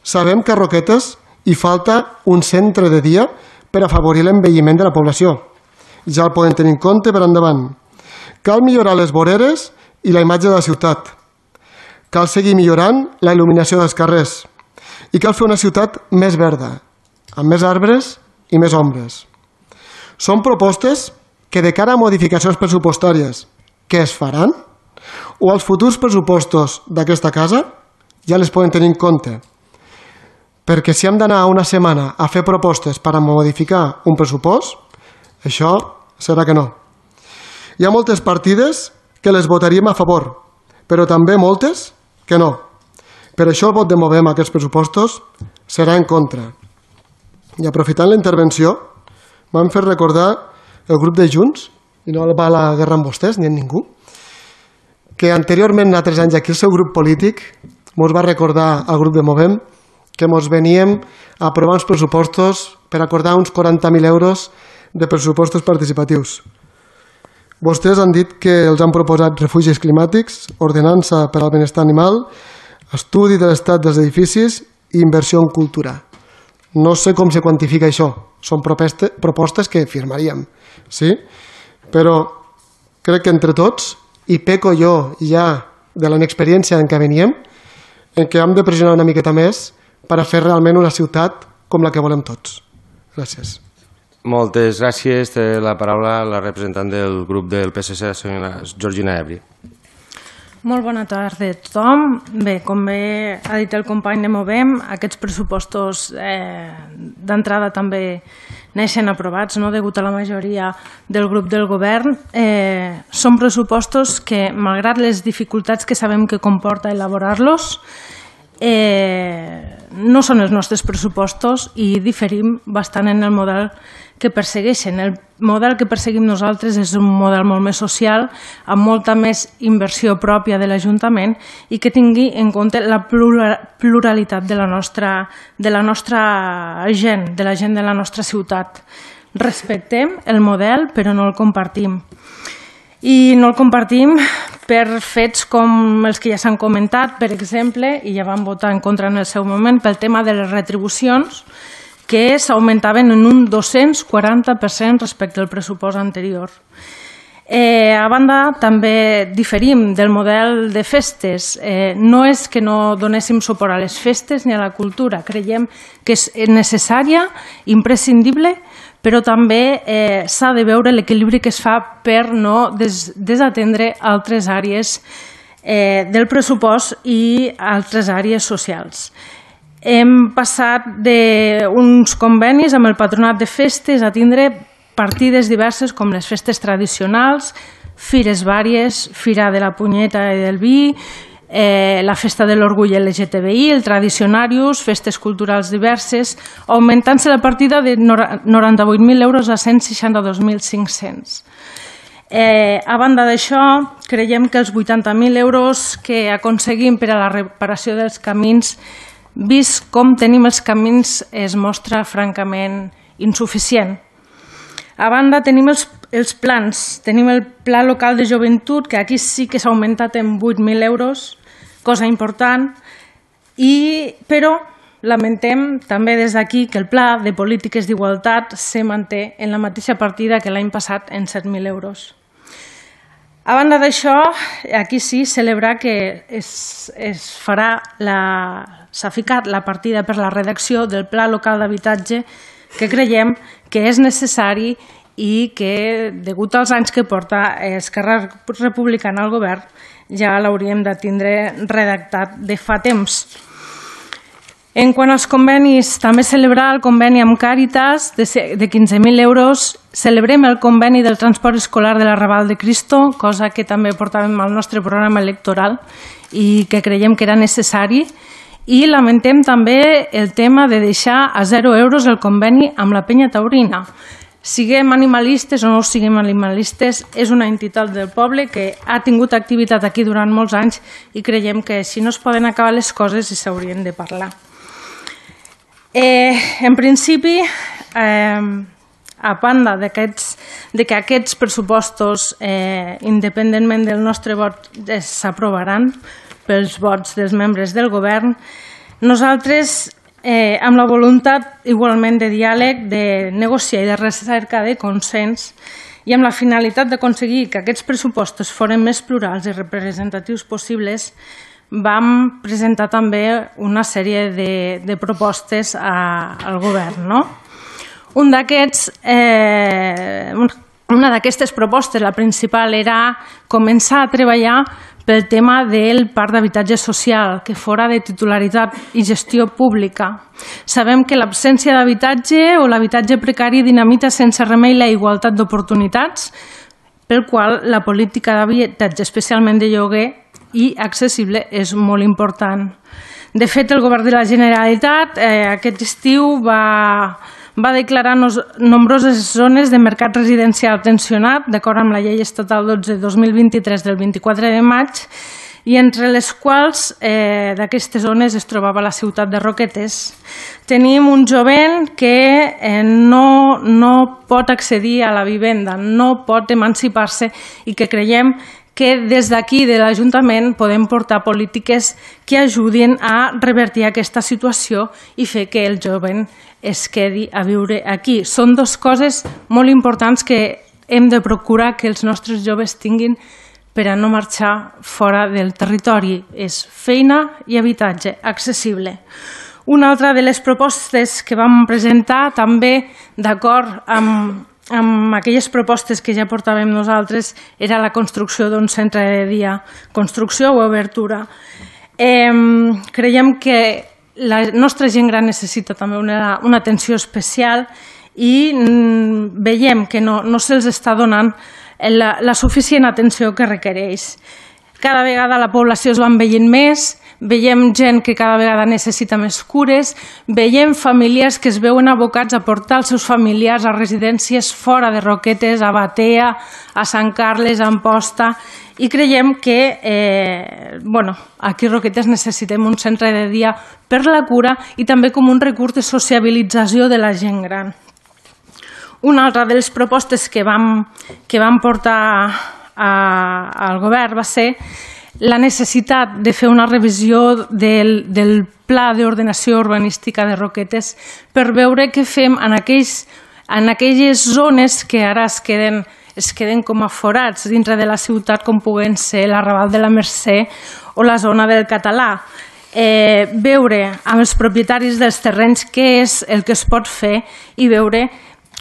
sabem que a Roquetes hi falta un centre de dia per afavorir l'envelliment de la població. Ja el poden tenir en compte per endavant. Cal millorar les voreres i la imatge de la ciutat. cal seguir millorant la il·luminació dels carrers i cal fer una ciutat més verda, amb més arbres i més ombres. Són propostes que de cara a modificacions pressupostàries que es faran o als futurs pressupostos d'aquesta casa ja les poden tenir en compte. Perquè si hem d'anar una setmana a fer propostes per a modificar un pressupost, això serà que no. Hi ha moltes partides que les votaríem a favor, però també moltes que no. Per això el vot de Movem a aquests pressupostos serà en contra. I aprofitant la intervenció, m'han fet recordar el grup de Junts, i no va a la guerra amb vostès ni amb ningú, que anteriorment, a 3 anys aquí, el seu grup polític ens va recordar al grup de Movem que ens veníem a aprovar uns pressupostos per acordar uns 40.000 euros de pressupostos participatius. Vostès han dit que els han proposat refugis climàtics, ordenança per al benestar animal, estudi de l'estat dels edificis i inversió en cultura. No sé com se quantifica això, són propostes que firmaríem, sí? Però crec que entre tots, i peco jo ja de la inexperiència en què veníem, en què hem de pressionar una miqueta més per a fer realment una ciutat com la que volem tots. Gràcies. Moltes gràcies. Té la paraula la representant del grup del PSC, la senyora Georgina Ebri. Molt bona tarda a tothom. Bé, com bé ha dit el company de Movem, aquests pressupostos d'entrada també neixen aprovats, no? Degut a la majoria del grup del govern. Són pressupostos que, malgrat les dificultats que sabem que comporta elaborar-los, no són els nostres pressupostos i diferim bastant en el model que persegueixen. El model que perseguim nosaltres és un model molt més social, amb molta més inversió pròpia de l'Ajuntament i que tingui en compte la pluralitat de la nostra gent, de la gent de la nostra ciutat. Respectem el model, però no el compartim. I no el compartim per fets com els que ja s'han comentat, per exemple, i ja vam votar en contra en el seu moment, pel tema de les retribucions, que s'augmentaven en un 240% respecte al pressupost anterior. A banda, també diferim del model de festes. No és que no donéssim suport a les festes ni a la cultura. Creiem que és necessària, imprescindible, però també s'ha de veure l'equilibri que es fa per no desatendre altres àrees del pressupost i altres àrees socials. Hem passat d'uns convenis amb el Patronat de Festes a tindre partides diverses com les festes tradicionals, fires vàries, Fira de la Punyeta i del Vi, la Festa de l'Orgull LGTBI, el Tradicionarius, festes culturals diverses, augmentant-se la partida de 98.000 euros a 162.500. A banda d'això, creiem que els 80.000 euros que aconseguim per a la reparació dels camins, vist com tenim els camins, es mostra francament insuficient. A banda, tenim els plans. Tenim el Pla Local de Joventut, que aquí sí que s'ha augmentat en 8.000 euros, cosa important, però lamentem també des d'aquí que el Pla de Polítiques d'Igualtat se manté en la mateixa partida que l'any passat en 7.000 euros. A banda d'això, aquí sí, celebrar que s'ha ficat la partida per la redacció del Pla Local d'Habitatge, que creiem que és necessari i que, degut als anys que porta Esquerra Republicana al govern, ja l'hauríem de tindre redactat de fa temps. En quant als convenis, també celebrar el conveni amb Càritas de 15.000 euros. Celebrem el conveni del transport escolar de la Raval de Cristo, cosa que també portàvem al nostre programa electoral i que creiem que era necessari. I lamentem també el tema de deixar a 0 euros el conveni amb la Penya Taurina. Siguem animalistes o no siguem animalistes, és una entitat del poble que ha tingut activitat aquí durant molts anys i creiem que si no es poden acabar les coses s'haurien de parlar. En principi, a banda que aquests pressupostos, independentment del nostre vot, s'aprovaran pels vots dels membres del govern, nosaltres, amb la voluntat igualment de diàleg, de negociar i de recerca de consens, i amb la finalitat d'aconseguir que aquests pressupostos foren més plurals i representatius possibles, vam presentar també una sèrie de propostes al govern. Una d'aquestes propostes, la principal, era començar a treballar pel tema del parc d'habitatge social, que fora de titularitat i gestió pública. Sabem que l'absència d'habitatge o l'habitatge precari dinamita sense remei la igualtat d'oportunitats, pel qual la política d'habitatge, especialment de lloguer i accessible, és molt important. De fet, el govern de la Generalitat aquest estiu va declarar nombroses zones de mercat residencial tensionat, d'acord amb la llei estatal 12/2023 del 24 de maig, i entre les quals d'aquestes zones es trobava la ciutat de Roquetes. Tenim un jovent que no pot accedir a la vivenda, no pot emancipar-se, i que creiem que des d'aquí de l'Ajuntament podem portar polítiques que ajudin a revertir aquesta situació i fer que el jovent es quedi a viure aquí. Són dues coses molt importants que hem de procurar que els nostres joves tinguin per a no marxar fora del territori. És feina i habitatge accessible. Una altra de les propostes que vam presentar, també d'acord amb aquelles propostes que ja portàvem nosaltres, era la construcció d'un centre de dia, construcció o obertura. Creiem que la nostra gent gran necessita també una atenció especial i veiem que no se'ls està donant la suficient atenció que requereix. Cada vegada la població es va envellint més, veiem gent que cada vegada necessita més cures, veiem famílies que es veuen abocats a portar els seus familiars a residències fora de Roquetes, a Batea, a Sant Carles, a Amposta, i creiem que aquí a Roquetes necessitem un centre de dia per la cura i també com un recurs de sociabilització de la gent gran. Una altra de les propostes que vam portar al govern va ser la necessitat de fer una revisió del pla d'ordenació urbanística de Roquetes per veure què fem en aquelles zones que ara es queden com a forats dintre de la ciutat, com puguen ser l'Arrabal de la Mercè o la zona del Català. Veure amb els propietaris dels terrenys què és el que es pot fer i veure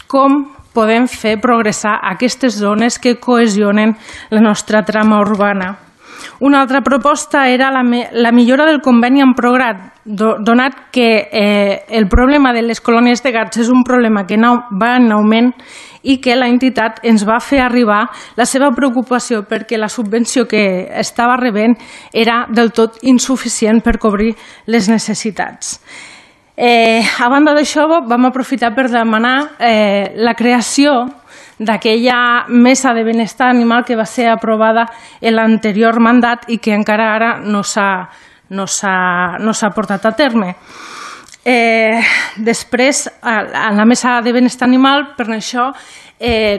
com podem fer progressar aquestes zones que cohesionen la nostra trama urbana. Una altra proposta era la millora del conveni amb Prograt, donat que el problema de les colònies de gats és un problema que va en augment i que l'entitat ens va fer arribar la seva preocupació perquè la subvenció que estava rebent era del tot insuficient per cobrir les necessitats. A banda d'això, vam aprofitar per demanar la creació d'aquella mesa de benestar animal que va ser aprovada en l'anterior mandat i que encara ara no s'ha portat a terme. Després, a la mesa de benestar animal, per això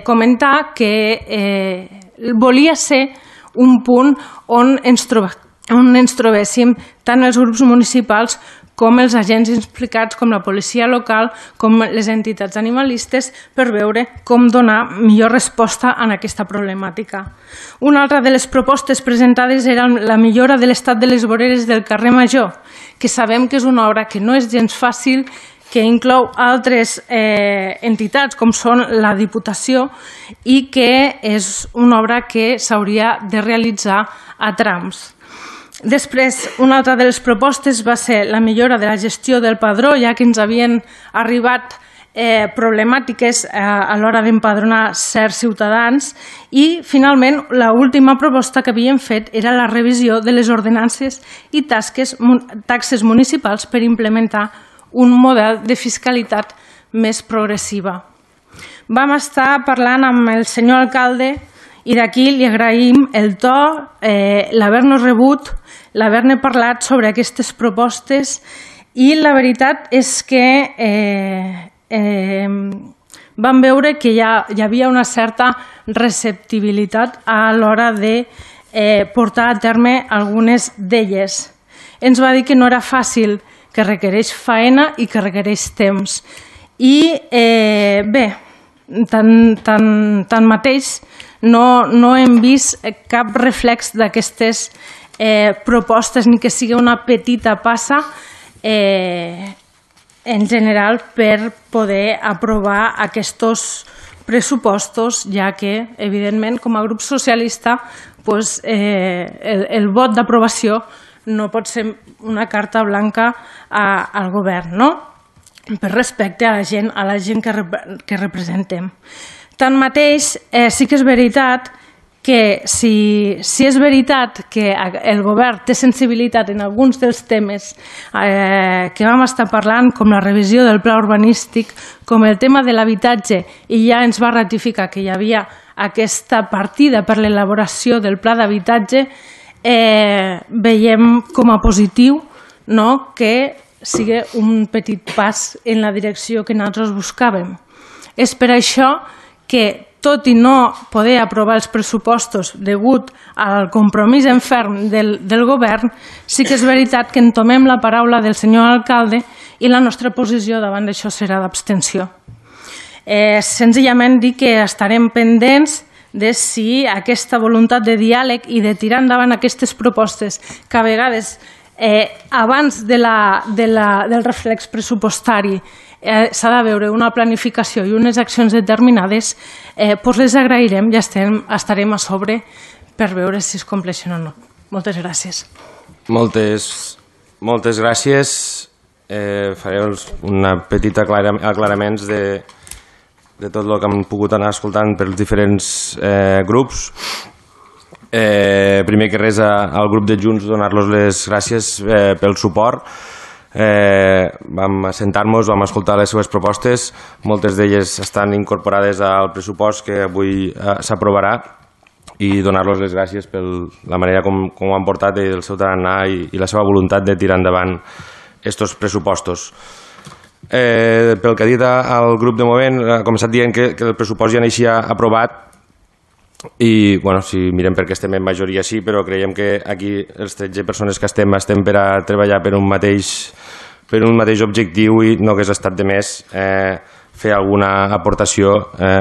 comentar que volia ser un punt on ens trobéssim tant els grups municipals com els agents implicats, com la policia local, com les entitats animalistes, per veure com donar millor resposta a aquesta problemàtica. Una altra de les propostes presentades era la millora de l'estat de les voreres del carrer Major, que sabem que és una obra que no és gens fàcil, que inclou altres entitats, com són la Diputació, i que és una obra que s'hauria de realitzar a trams. Després, una altra de les propostes va ser la millora de la gestió del padró, ja que ens havien arribat problemàtiques a l'hora d'empadronar certs ciutadans, i finalment l'última proposta que havíem fet era la revisió de les ordenances i taxes municipals per implementar un model de fiscalitat més progressiva. Vam estar parlant amb el senyor alcalde i d'aquí li agraïm el to, l'haver-nos rebut, l'haver-ne parlat sobre aquestes propostes, i la veritat és que vam veure que hi havia una certa receptibilitat a l'hora de portar a terme algunes d'elles. Ens va dir que no era fàcil, que requereix faena i que requereix temps. I bé, tanmateix no hem vist cap reflex d'aquestes propostes ni que sigui una petita passa en general per poder aprovar aquests pressupostos, ja que, evidentment, com a grup socialista, el vot d'aprovació no pot ser una carta blanca al govern, no? Per respecte a la gent que representem. Tanmateix, sí que és veritat que si és veritat que el govern té sensibilitat en alguns dels temes que vam estar parlant, com la revisió del pla urbanístic, com el tema de l'habitatge, i ja ens va ratificar que hi havia aquesta partida per l'elaboració del pla d'habitatge, veiem com a positiu que sigui un petit pas en la direcció que nosaltres buscàvem. És per això que, tot i no poder aprovar els pressupostos degut al compromís en ferm del govern, sí que és veritat que entomem la paraula del senyor alcalde i la nostra posició davant d'això serà d'abstenció. Senzillament dir que estarem pendents de si aquesta voluntat de diàleg i de tirar endavant aquestes propostes que a vegades abans del reflex pressupostari s'ha de veure una planificació i unes accions determinades, doncs les agrairem i estarem a sobre per veure si es compleixen o no. Moltes gràcies. Moltes gràcies. Faré una petita aclaraments de tot el que hem pogut anar escoltant pels diferents grups. Primer que res, al grup de Junts donar-los les gràcies pel suport. Vam assentar-nos, vam escoltar les seves propostes, moltes d'elles estan incorporades al pressupost que avui s'aprovarà, i donar-los les gràcies per la manera com ho han portat i el seu tarannà i la seva voluntat de tirar endavant aquests pressupostos. Pel que ha dit el grup de Movent, ha començat dient que el pressupost ja naixia aprovat, i si mirem perquè estem en majoria sí, però creiem que aquí els 13 persones que estem per a treballar per un mateix objectiu, i no hagués estat de més fer alguna aportació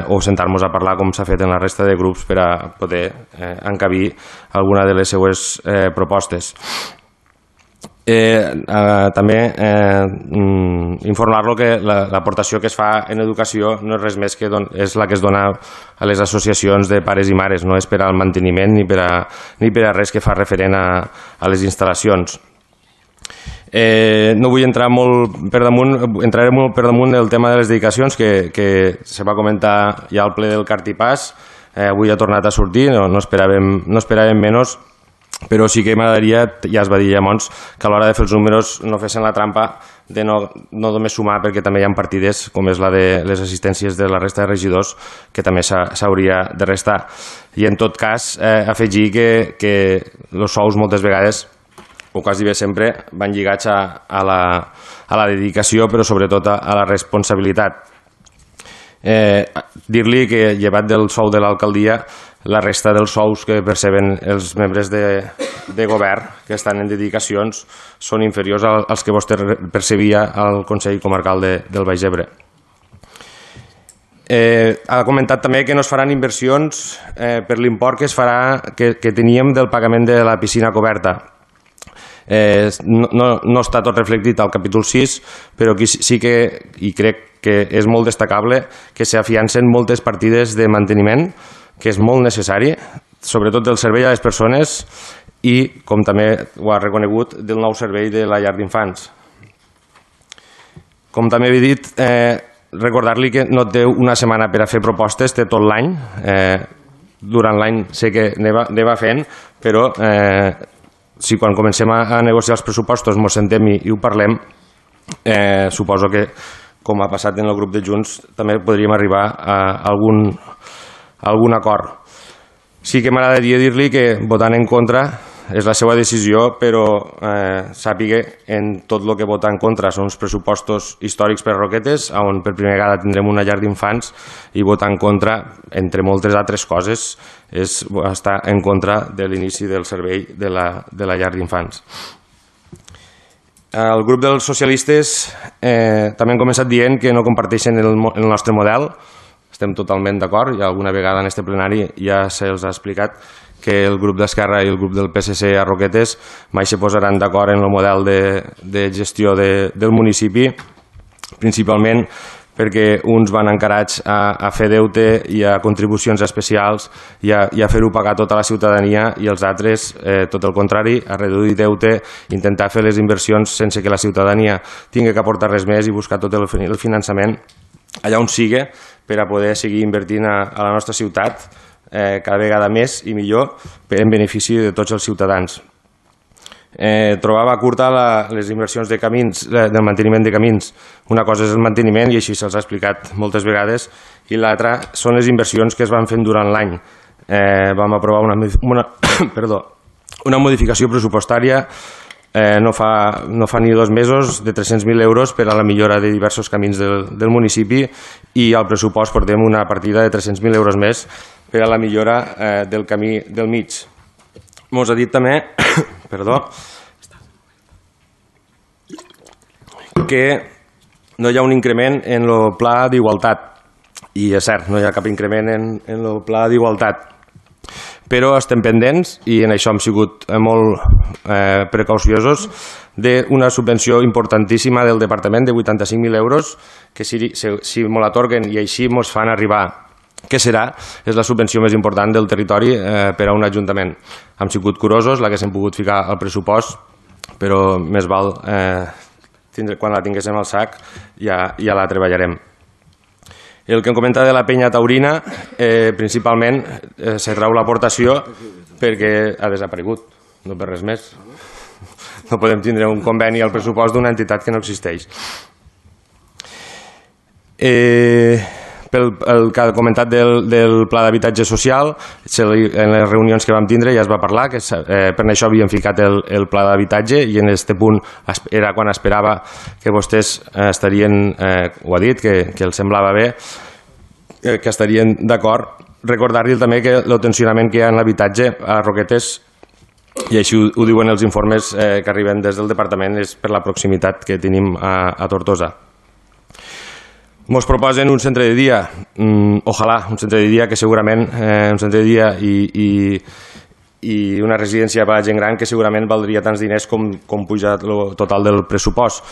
o sentar-nos a parlar com s'ha fet en la resta de grups per a poder encabir alguna de les seues propostes. També informar-lo que l'aportació que es fa en educació no és res més que és la que es dona a les associacions de pares i mares, no és per al manteniment ni per a res que fa referent a les instal·lacions. No vull entrar molt per damunt, entraré molt per damunt del tema de les dedicacions que se va comentar ja al ple del Cartipàs. Avui ha tornat a sortir, no esperàvem menys, però sí que m'agradaria, ja es va dir llavors, que a l'hora de fer els números no fessin la trampa de no només sumar, perquè també hi ha partides, com és la de les assistències de la resta de regidors, que també s'hauria de restar. I en tot cas, afegir que els sous moltes vegades, o quasi bé sempre, van lligats a la dedicació, però sobretot a la responsabilitat. Dir-li que, llevat del sou de l'alcaldia, la resta dels sous que perceben els membres de govern que estan en dedicacions són inferiors als que vostè percebia al Consell Comarcal del Baix Ebre. Ha comentat també que no es faran inversions per l'import que teníem del pagament de la piscina coberta. No està tot reflectit al capítol 6, però aquí sí que, i crec que és molt destacable, que s'afiancen moltes partides de manteniment, que és molt necessari, sobretot del servei a les persones i, com també ho ha reconegut, del nou servei de la llar d'infants. Com també he dit, recordar-li que no té una setmana per a fer propostes, té tot l'any. Durant l'any sé que anava fent, però si quan comencem a negociar els pressupostos ens sentem i ho parlem, suposo que, com ha passat en el grup de Junts, també podríem arribar a algun acord. Sí que m'agradaria dir-li que votant en contra és la seva decisió, però sàpiga en tot el que vota en contra són els pressupostos històrics per a Roquetes, on per primera vegada tindrem una llar d'infants, i votar en contra, entre moltes altres coses, és estar en contra de l'inici del servei de la llar d'infants. El grup dels socialistes també han començat dient que no comparteixen el nostre model. estem totalment d'acord, i alguna vegada en este plenari ja se'ls ha explicat que el grup d'Esquerra i el grup del PSC a Roquetes mai se posaran d'acord en el model de gestió del municipi, principalment perquè uns van encarats a fer deute i a contribucions especials i a fer-ho pagar tota la ciutadania, i els altres, tot el contrari, a reduir deute, intentar fer les inversions sense que la ciutadania tingui que aportar res més i buscar tot el finançament allà on sigui per a poder seguir invertint a la nostra ciutat cada vegada més i millor en benefici de tots els ciutadans. Trobava curta les inversions de camins, del manteniment de camins. Una cosa és el manteniment, i així se'ls ha explicat moltes vegades, i l'altra són les inversions que es van fent durant l'any. Vam aprovar una modificació pressupostària no fa ni 2 mesos de 300.000 euros per a la millora de diversos camins del municipi, i al pressupost portem una partida de 300.000 euros més per a la millora del camí del mig. Mos ha dit també que no hi ha un increment en el pla d'igualtat, i és cert, no hi ha cap increment en el pla d'igualtat, però estem pendents, i en això hem sigut molt precauciosos, d'una subvenció importantíssima del departament de 85.000 euros, que si me l'atorguen i així ens fan arribar què serà, és la subvenció més important del territori per a un ajuntament. Hem sigut curosos, la que s'hem pogut ficar al pressupost, però més val quan la tinguéssim al sac ja la treballarem. El que em comenta de la penya taurina, principalment se treu l'aportació perquè ha desaparegut, no per res més. No podem tindre un conveni al pressupost d'una entitat que no existeix. El que ha comentat del pla d'habitatge social, en les reunions que vam tindre ja es va parlar que per això havíem ficat el pla d'habitatge, i en aquest punt era quan esperava que vostès estarien, ho ha dit, que els semblava bé, que estarien d'acord. Recordar-li també que el tensionament que hi ha en l'habitatge a Roquetes, i així ho diuen els informes que arriben des del departament, és per la proximitat que tenim a Tortosa. Ens proposen un centre de dia, ojalà, un centre de dia que segurament, un centre de dia i una residència per a gent gran que segurament valdria tants diners com puja el total del pressupost.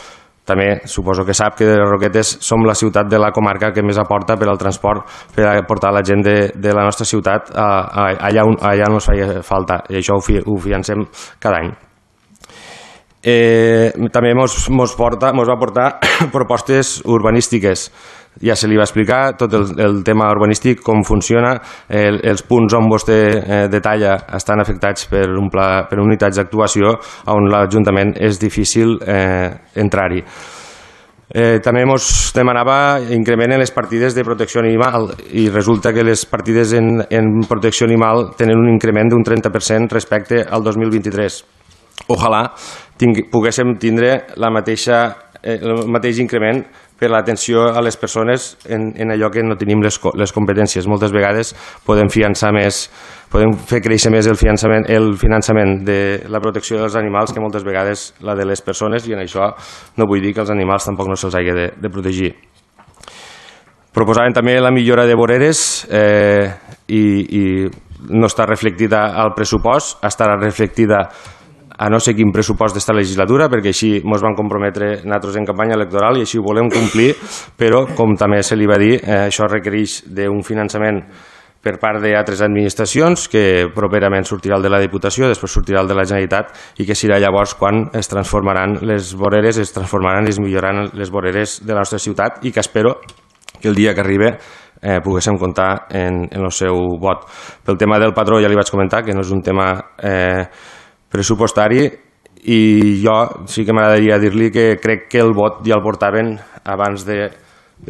També suposo que sap que de Roquetes som la ciutat de la comarca que més aporta per al transport, per a portar la gent de la nostra ciutat allà on ens feia falta, i això ho fiancem cada any. També ens va portar propostes urbanístiques. Ja se li va explicar tot el tema urbanístic, com funciona, els punts on vostè detalla estan afectats per unitats d'actuació on l'Ajuntament és difícil entrar-hi. També ens demanava increment en les partides de protecció animal, i resulta que les partides en protecció animal tenen un increment d'un 30% respecte al 2023. Ojalà poguéssim tindre el mateix increment per l'atenció a les persones en allò que no tenim les competències. Moltes vegades podem fiançar més, podem fer créixer més el finançament de la protecció dels animals que moltes vegades la de les persones, i en això no vull dir que els animals tampoc no se'ls hagi de protegir. Proposaven també la millora de voreres, i no està reflectida al pressupost, estarà reflectida a no sé quin pressupost d'esta legislatura, perquè així ens van comprometre nosaltres en campanya electoral i així ho volem complir, però com també se li va dir, això requereix d'un finançament per part d'altres administracions, que properament sortirà el de la Diputació, després sortirà el de la Generalitat, i que serà llavors quan es transformaran les voreres, es milloraran les voreres de la nostra ciutat, i que espero que el dia que arribi poguéssim comptar en el seu vot. Pel tema del patró ja li vaig comentar que no és un tema pressupostari, i jo sí que m'agradaria dir-li que crec que el vot ja el portaven abans de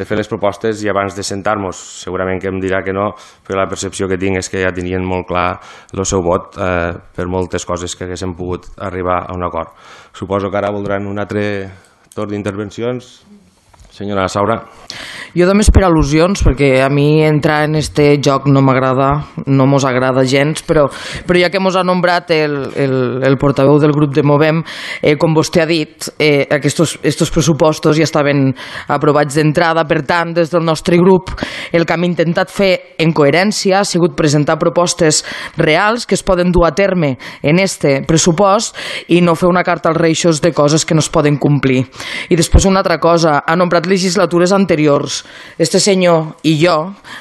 fer les propostes i abans de sentar-nos. Segurament que em dirà que no, però la percepció que tinc és que ja tenien molt clar el seu vot per moltes coses que haguéssim pogut arribar a un acord. Suposo que ara voldran un altre torn d'intervencions. Senyora Saura. Jo només per al·lusions, perquè a mi entrar en este joc no m'agrada, no mos agrada gens, però ja que mos ha nombrat el portaveu del grup de Movem, com vostè ha dit, estos pressupostos ja estaven aprovats d'entrada, per tant, des del nostre grup, el que hem intentat fer en coherència ha sigut presentar propostes reals que es poden dur a terme en este pressupost i no fer una carta als reixos de coses que no es poden complir. I després una altra cosa, ha nombrat legislatures anteriors. Este senyor i jo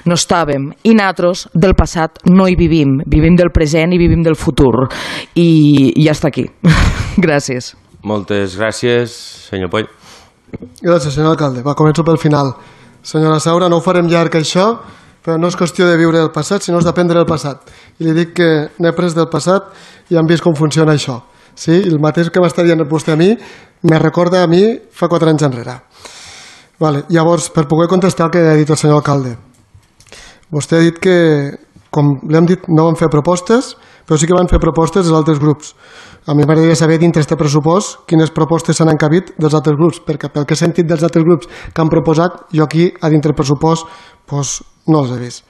no estàvem, i nosaltres del passat no hi vivim del present i vivim del futur. I ja està aquí. Gràcies. Moltes gràcies, senyor Poll. Gràcies, senyor alcalde. Va, començo pel final. Senyora Saura, no ho farem llarg això, però no és qüestió de viure el passat, sinó és d'aprendre el passat. I li dic que n'he après del passat i hem vist com funciona això. Sí? El mateix que m'està dient vostè a mi, me recorda a mi fa 4 anys enrere. Vale. Llavors, per poder contestar el que ha dit el senyor alcalde, vostè ha dit que, com l'hem dit, no van fer propostes, però sí que van fer propostes dels altres grups. A mi m'agradaria saber dintre d'aquest pressupost quines propostes s'han encabit dels altres grups, perquè pel que he sentit dels altres grups que han proposat, jo aquí, a dintre del pressupost, doncs, no els he vist.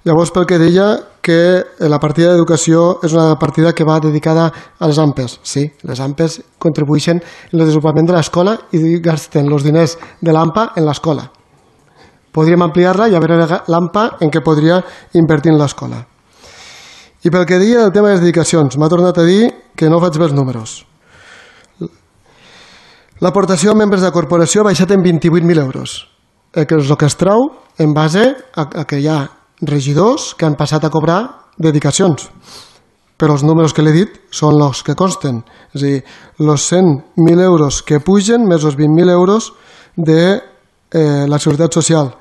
Llavors, pel que deia que la partida d'educació és una partida que va dedicada a les AMPEs. Sí, les AMPEs contribueixen en el desenvolupament de l'escola i gasten els diners de l'AMPA en l'escola. Podríem ampliar-la i a veure l'AMPA en què podria invertir en l'escola. I pel que deia del tema de les dedicacions, m'ha tornat a dir que no faig bé els números. L'aportació a membres de la corporació ha baixat en 28.000 euros, que és el que es trau en base a que hi ha regidors que han passat a cobrar dedicacions. Però els números que l'he dit són els que consten. És a dir, els 100.000 euros que pugen més els 20.000 euros de la Seguretat Social.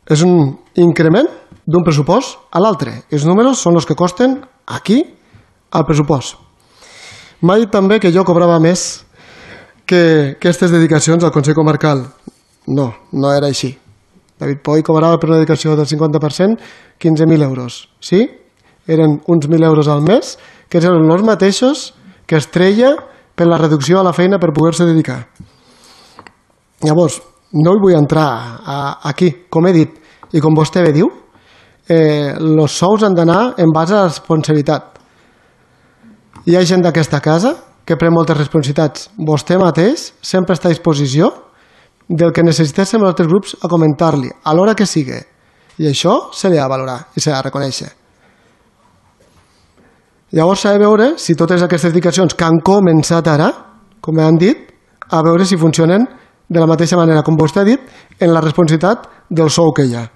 És un increment d'un pressupost a l'altre. Els números són els que costen aquí al pressupost. M'ha dit també que jo cobrava més que aquestes dedicacions al Consell Comarcal. No, no era així. David Poll cobrava per una dedicació del 50% 15.000 euros. Sí? Eren uns 1.000 euros al mes, que eren els mateixos que es treia per la reducció a la feina per poder-se dedicar. Llavors, no hi vull entrar aquí. Com he dit, i com vostè bé diu, els sous han d'anar en base a la responsabilitat. Hi ha gent d'aquesta casa que pren moltes responsabilitats. Vostè mateix sempre està a disposició del que necessitéssim els altres grups a comentar-li, a l'hora que sigui. I això se li ha de valorar i se li ha de reconèixer. Llavors s'ha de veure si totes aquestes dedicacions que han començat ara, com han dit, a veure si funcionen de la mateixa manera, com vostè ha dit, en la responsabilitat del sou que hi ha.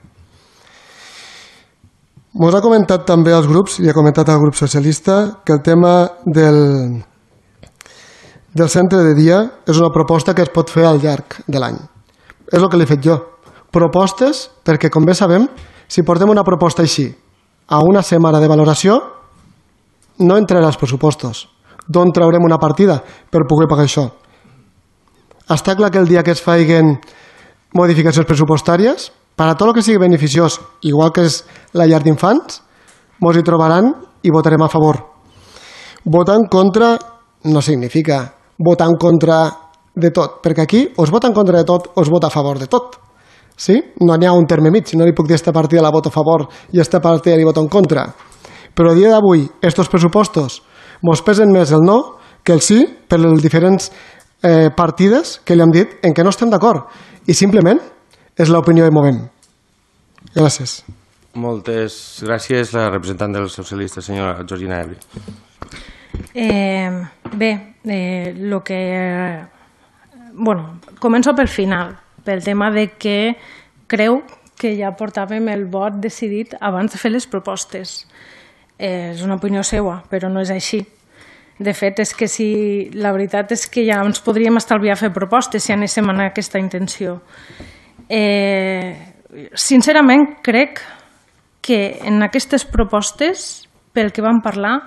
Mos ha comentat també als grups, i ha comentat al grup socialista, que el tema del centre de dia és una proposta que es pot fer al llarg de l'any. És el que l'he fet jo. Propostes, perquè com bé sabem, si portem una proposta així a una setmana de valoració, no entrarà als pressupostos. D'on traurem una partida per poder pagar això? Està clar que el dia que es facin modificacions pressupostàries, per a tot el que sigui beneficiós, igual que és la llar d'infants, ens hi trobaran i votarem a favor. Votar en contra no significa votar en contra de tot, perquè aquí o es vota en contra de tot o es vota a favor de tot. Sí? No n'hi ha un terme mig, no li puc dir esta partida la voto a favor i esta partida li voto en contra. Però a dia d'avui, estos pressupostos mos pesen més el no que el sí per les diferents partides que li hem dit en què no estem d'acord. I simplement és l'opinió de Movem. Gràcies. Moltes gràcies, la representant dels socialistes, senyora Georgina Ebri. Començo pel final, pel tema de que creu que ja portàvem el vot decidit abans de fer les propostes. És una opinió seva, però no és així. De fet, és que la veritat és que ja ens podríem estalviar fer propostes si anéssim en aquesta intenció. Sincerament, crec que en aquestes propostes, pel que vam parlar,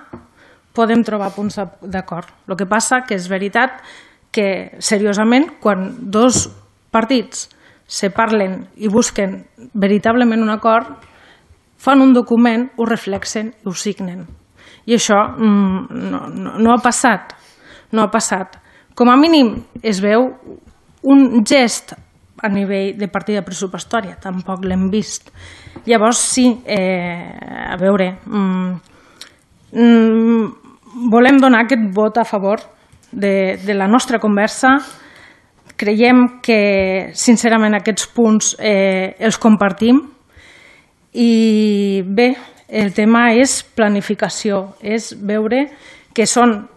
podem trobar punts d'acord. El que passa que és veritat que, seriosament, quan dos partits se parlen i busquen veritablement un acord, fan un document, ho reflexen i ho signen. I això no ha passat. No ha passat. Com a mínim es veu un gest a nivell de partida pressupostària, tampoc l'hem vist. Llavors, sí, a veure, volem donar aquest vot a favor de la nostra conversa. Creiem que, sincerament, aquests punts els compartim i bé, el tema és planificació, és veure que són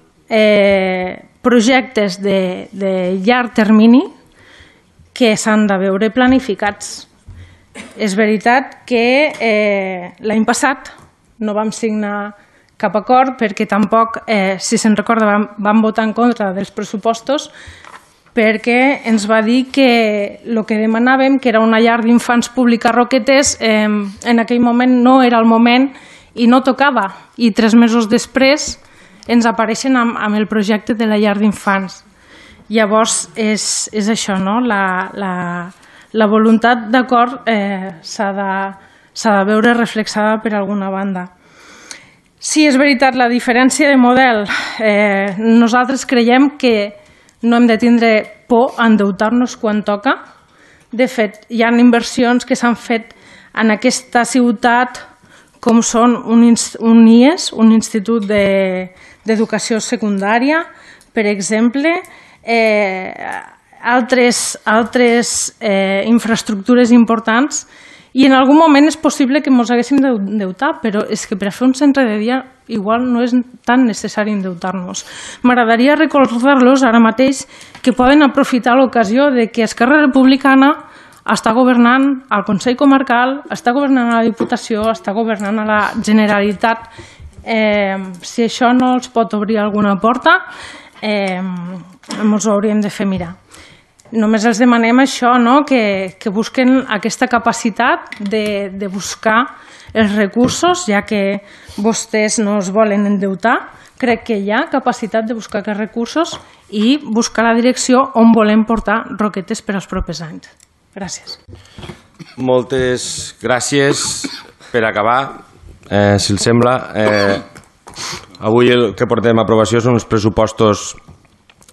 projectes de llarg termini que s'han de veure planificats. És veritat que l'any passat no vam signar cap acord perquè tampoc, si se'n recorda, vam votar en contra dels pressupostos perquè ens va dir que el que demanàvem, que era una llar d'infants pública a Roquetes, en aquell moment no era el moment i no tocava. I 3 mesos després ens apareixen amb el projecte de la llar d'infants. Llavors, és això, no? La voluntat d'acord s'ha de veure reflexada per alguna banda. Sí, és veritat, la diferència de model. Nosaltres creiem que no hem de tindre por a endeutar-nos quan toca. De fet, hi ha inversions que s'han fet en aquesta ciutat com són un IES, un Institut d'Educació Secundària, per exemple, altres infraestructures importants, i en algun moment és possible que ens haguéssim d'endeutar, però és que per a fer un centre de dia igual no és tan necessari endeutar-nos. M'agradaria recordar-los ara mateix que poden aprofitar l'ocasió de que Esquerra Republicana està governant al Consell Comarcal, està governant a la Diputació, està governant a la Generalitat. Si això no els pot obrir alguna porta, ens ho hauríem de fer mirar. Només els demanem això, no? Que busquen aquesta capacitat de buscar els recursos, ja que vostès no es volen endeutar. Crec que hi ha capacitat de buscar aquests recursos i buscar la direcció on volem portar Roquetes per als propers anys. Gràcies. Moltes gràcies. Per acabar, si els sembla, avui el que portem a aprovació són uns pressupostos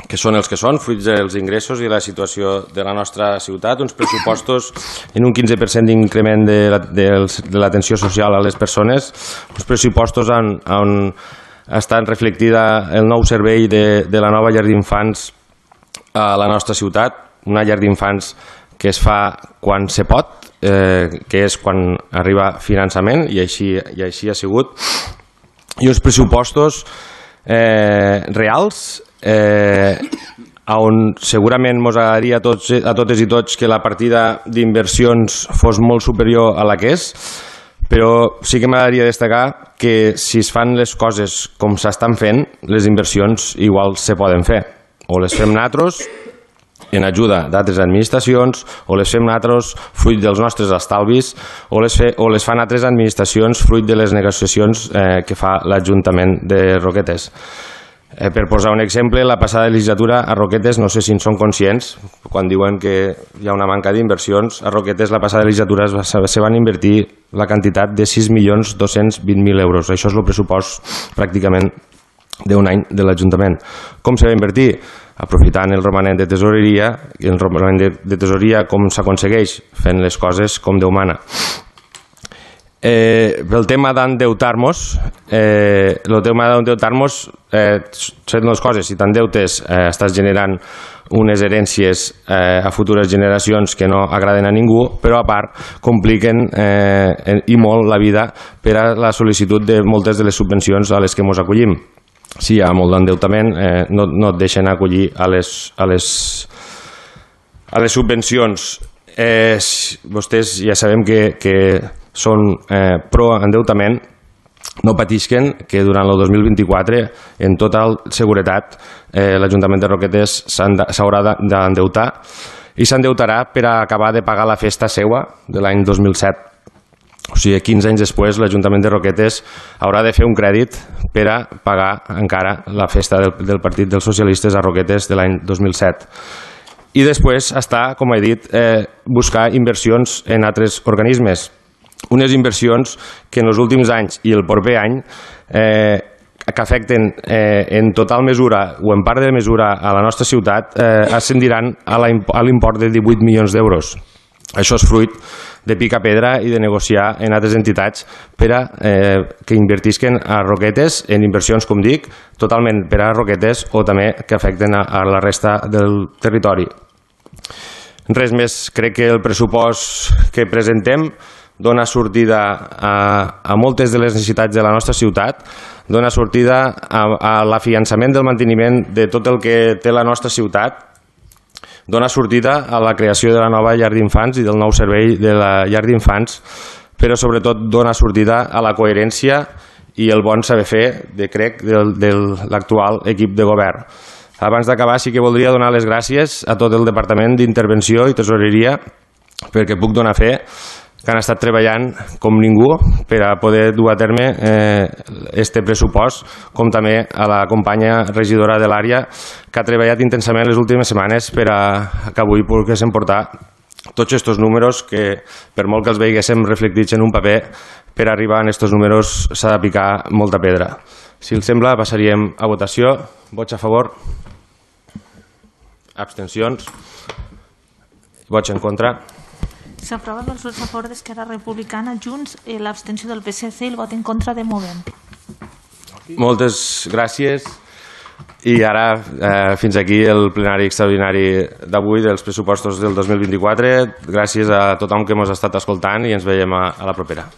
que són els que són, fruits dels ingressos i la situació de la nostra ciutat, uns pressupostos en un 15% d'increment de l'atenció social a les persones, uns pressupostos on està reflectida el nou servei de la nova llar d'infants a la nostra ciutat, una llar d'infants que es fa quan se pot, que és quan arriba finançament, i així ha sigut, i uns pressupostos reals, on segurament ens agradaria a totes i tots que la partida d'inversions fos molt superior a la que és, però sí que m'agradaria destacar que si es fan les coses com s'estan fent, les inversions igual se poden fer, o les fem nosaltres en ajuda d'altres administracions, o les fem nosaltres fruit dels nostres estalvis, o les fan altres administracions fruit de les negociacions que fa l'Ajuntament de Roquetes. Per posar un exemple, la passada legislatura a Roquetes, no sé si en són conscients, quan diuen que hi ha una manca d'inversions, a Roquetes la passada legislatura se van invertir la quantitat de 6.220.000 euros. Això és el pressupost pràcticament d'un any de l'Ajuntament. Com se va invertir? Aprofitant el romanent de tesoreria, i el romanent de tesoreria com s'aconsegueix? Fent les coses com Déu mana. Pel tema d'endeutar-nos, són dues coses. Si t'endeutes, estàs generant unes herències a futures generacions que no agraden a ningú, però a part compliquen i molt la vida per a la sol·licitud de moltes de les subvencions a les que ens acollim. Si hi ha molt d'endeutament, no et deixen acollir a les subvencions. Vostès ja sabem que són pro-endeutament, no patisquen que durant el 2024, en tota seguretat, l'Ajuntament de Roquetes s'haurà d'endeutar i s'endeutarà per a acabar de pagar la festa seua de l'any 2007. O sigui, 15 anys després, l'Ajuntament de Roquetes haurà de fer un crèdit per a pagar encara la festa del Partit dels Socialistes a Roquetes de l'any 2007. I després està, com he dit, buscar inversions en altres organismes. Unes inversions que en els últims anys i el proper any que afecten en total mesura o en part de mesura a la nostra ciutat ascendiran a l'import de 18 milions d'euros. Això és fruit de picar pedra i de negociar en altres entitats per a que invertisquen a Roquetes en inversions, com dic, totalment per a Roquetes o també que afecten a la resta del territori. Res més, crec que el pressupost que presentem dona sortida a moltes de les necessitats de la nostra ciutat, dona sortida a l'afiançament del manteniment de tot el que té la nostra ciutat, dona sortida a la creació de la nova llar d'infants i del nou servei de la llar d'infants, però sobretot dona sortida a la coherència i el bon saber fer, crec, de l'actual equip de govern. Abans d'acabar sí que voldria donar les gràcies a tot el Departament d'Intervenció i Tesoreria perquè puc donar fe que han estat treballant com ningú per a poder dur a terme este pressupost, com també a la companya regidora de l'àrea que ha treballat intensament les últimes setmanes per a que avui poguéssim portar tots aquests números que, per molt que els veiéssim reflectits en un paper, per arribar a aquests números s'ha de picar molta pedra. Si els sembla, passaríem a votació. Vots a favor? Abstencions? Vots en contra? S'aprova amb els vots a favor d'Esquerra Republicana, Junts, l'abstenció del PSC i el vot en contra de Movem. Moltes gràcies. I ara, fins aquí el plenari extraordinari d'avui dels pressupostos del 2024. Gràcies a tothom que ens ha estat escoltant i ens veiem a la propera.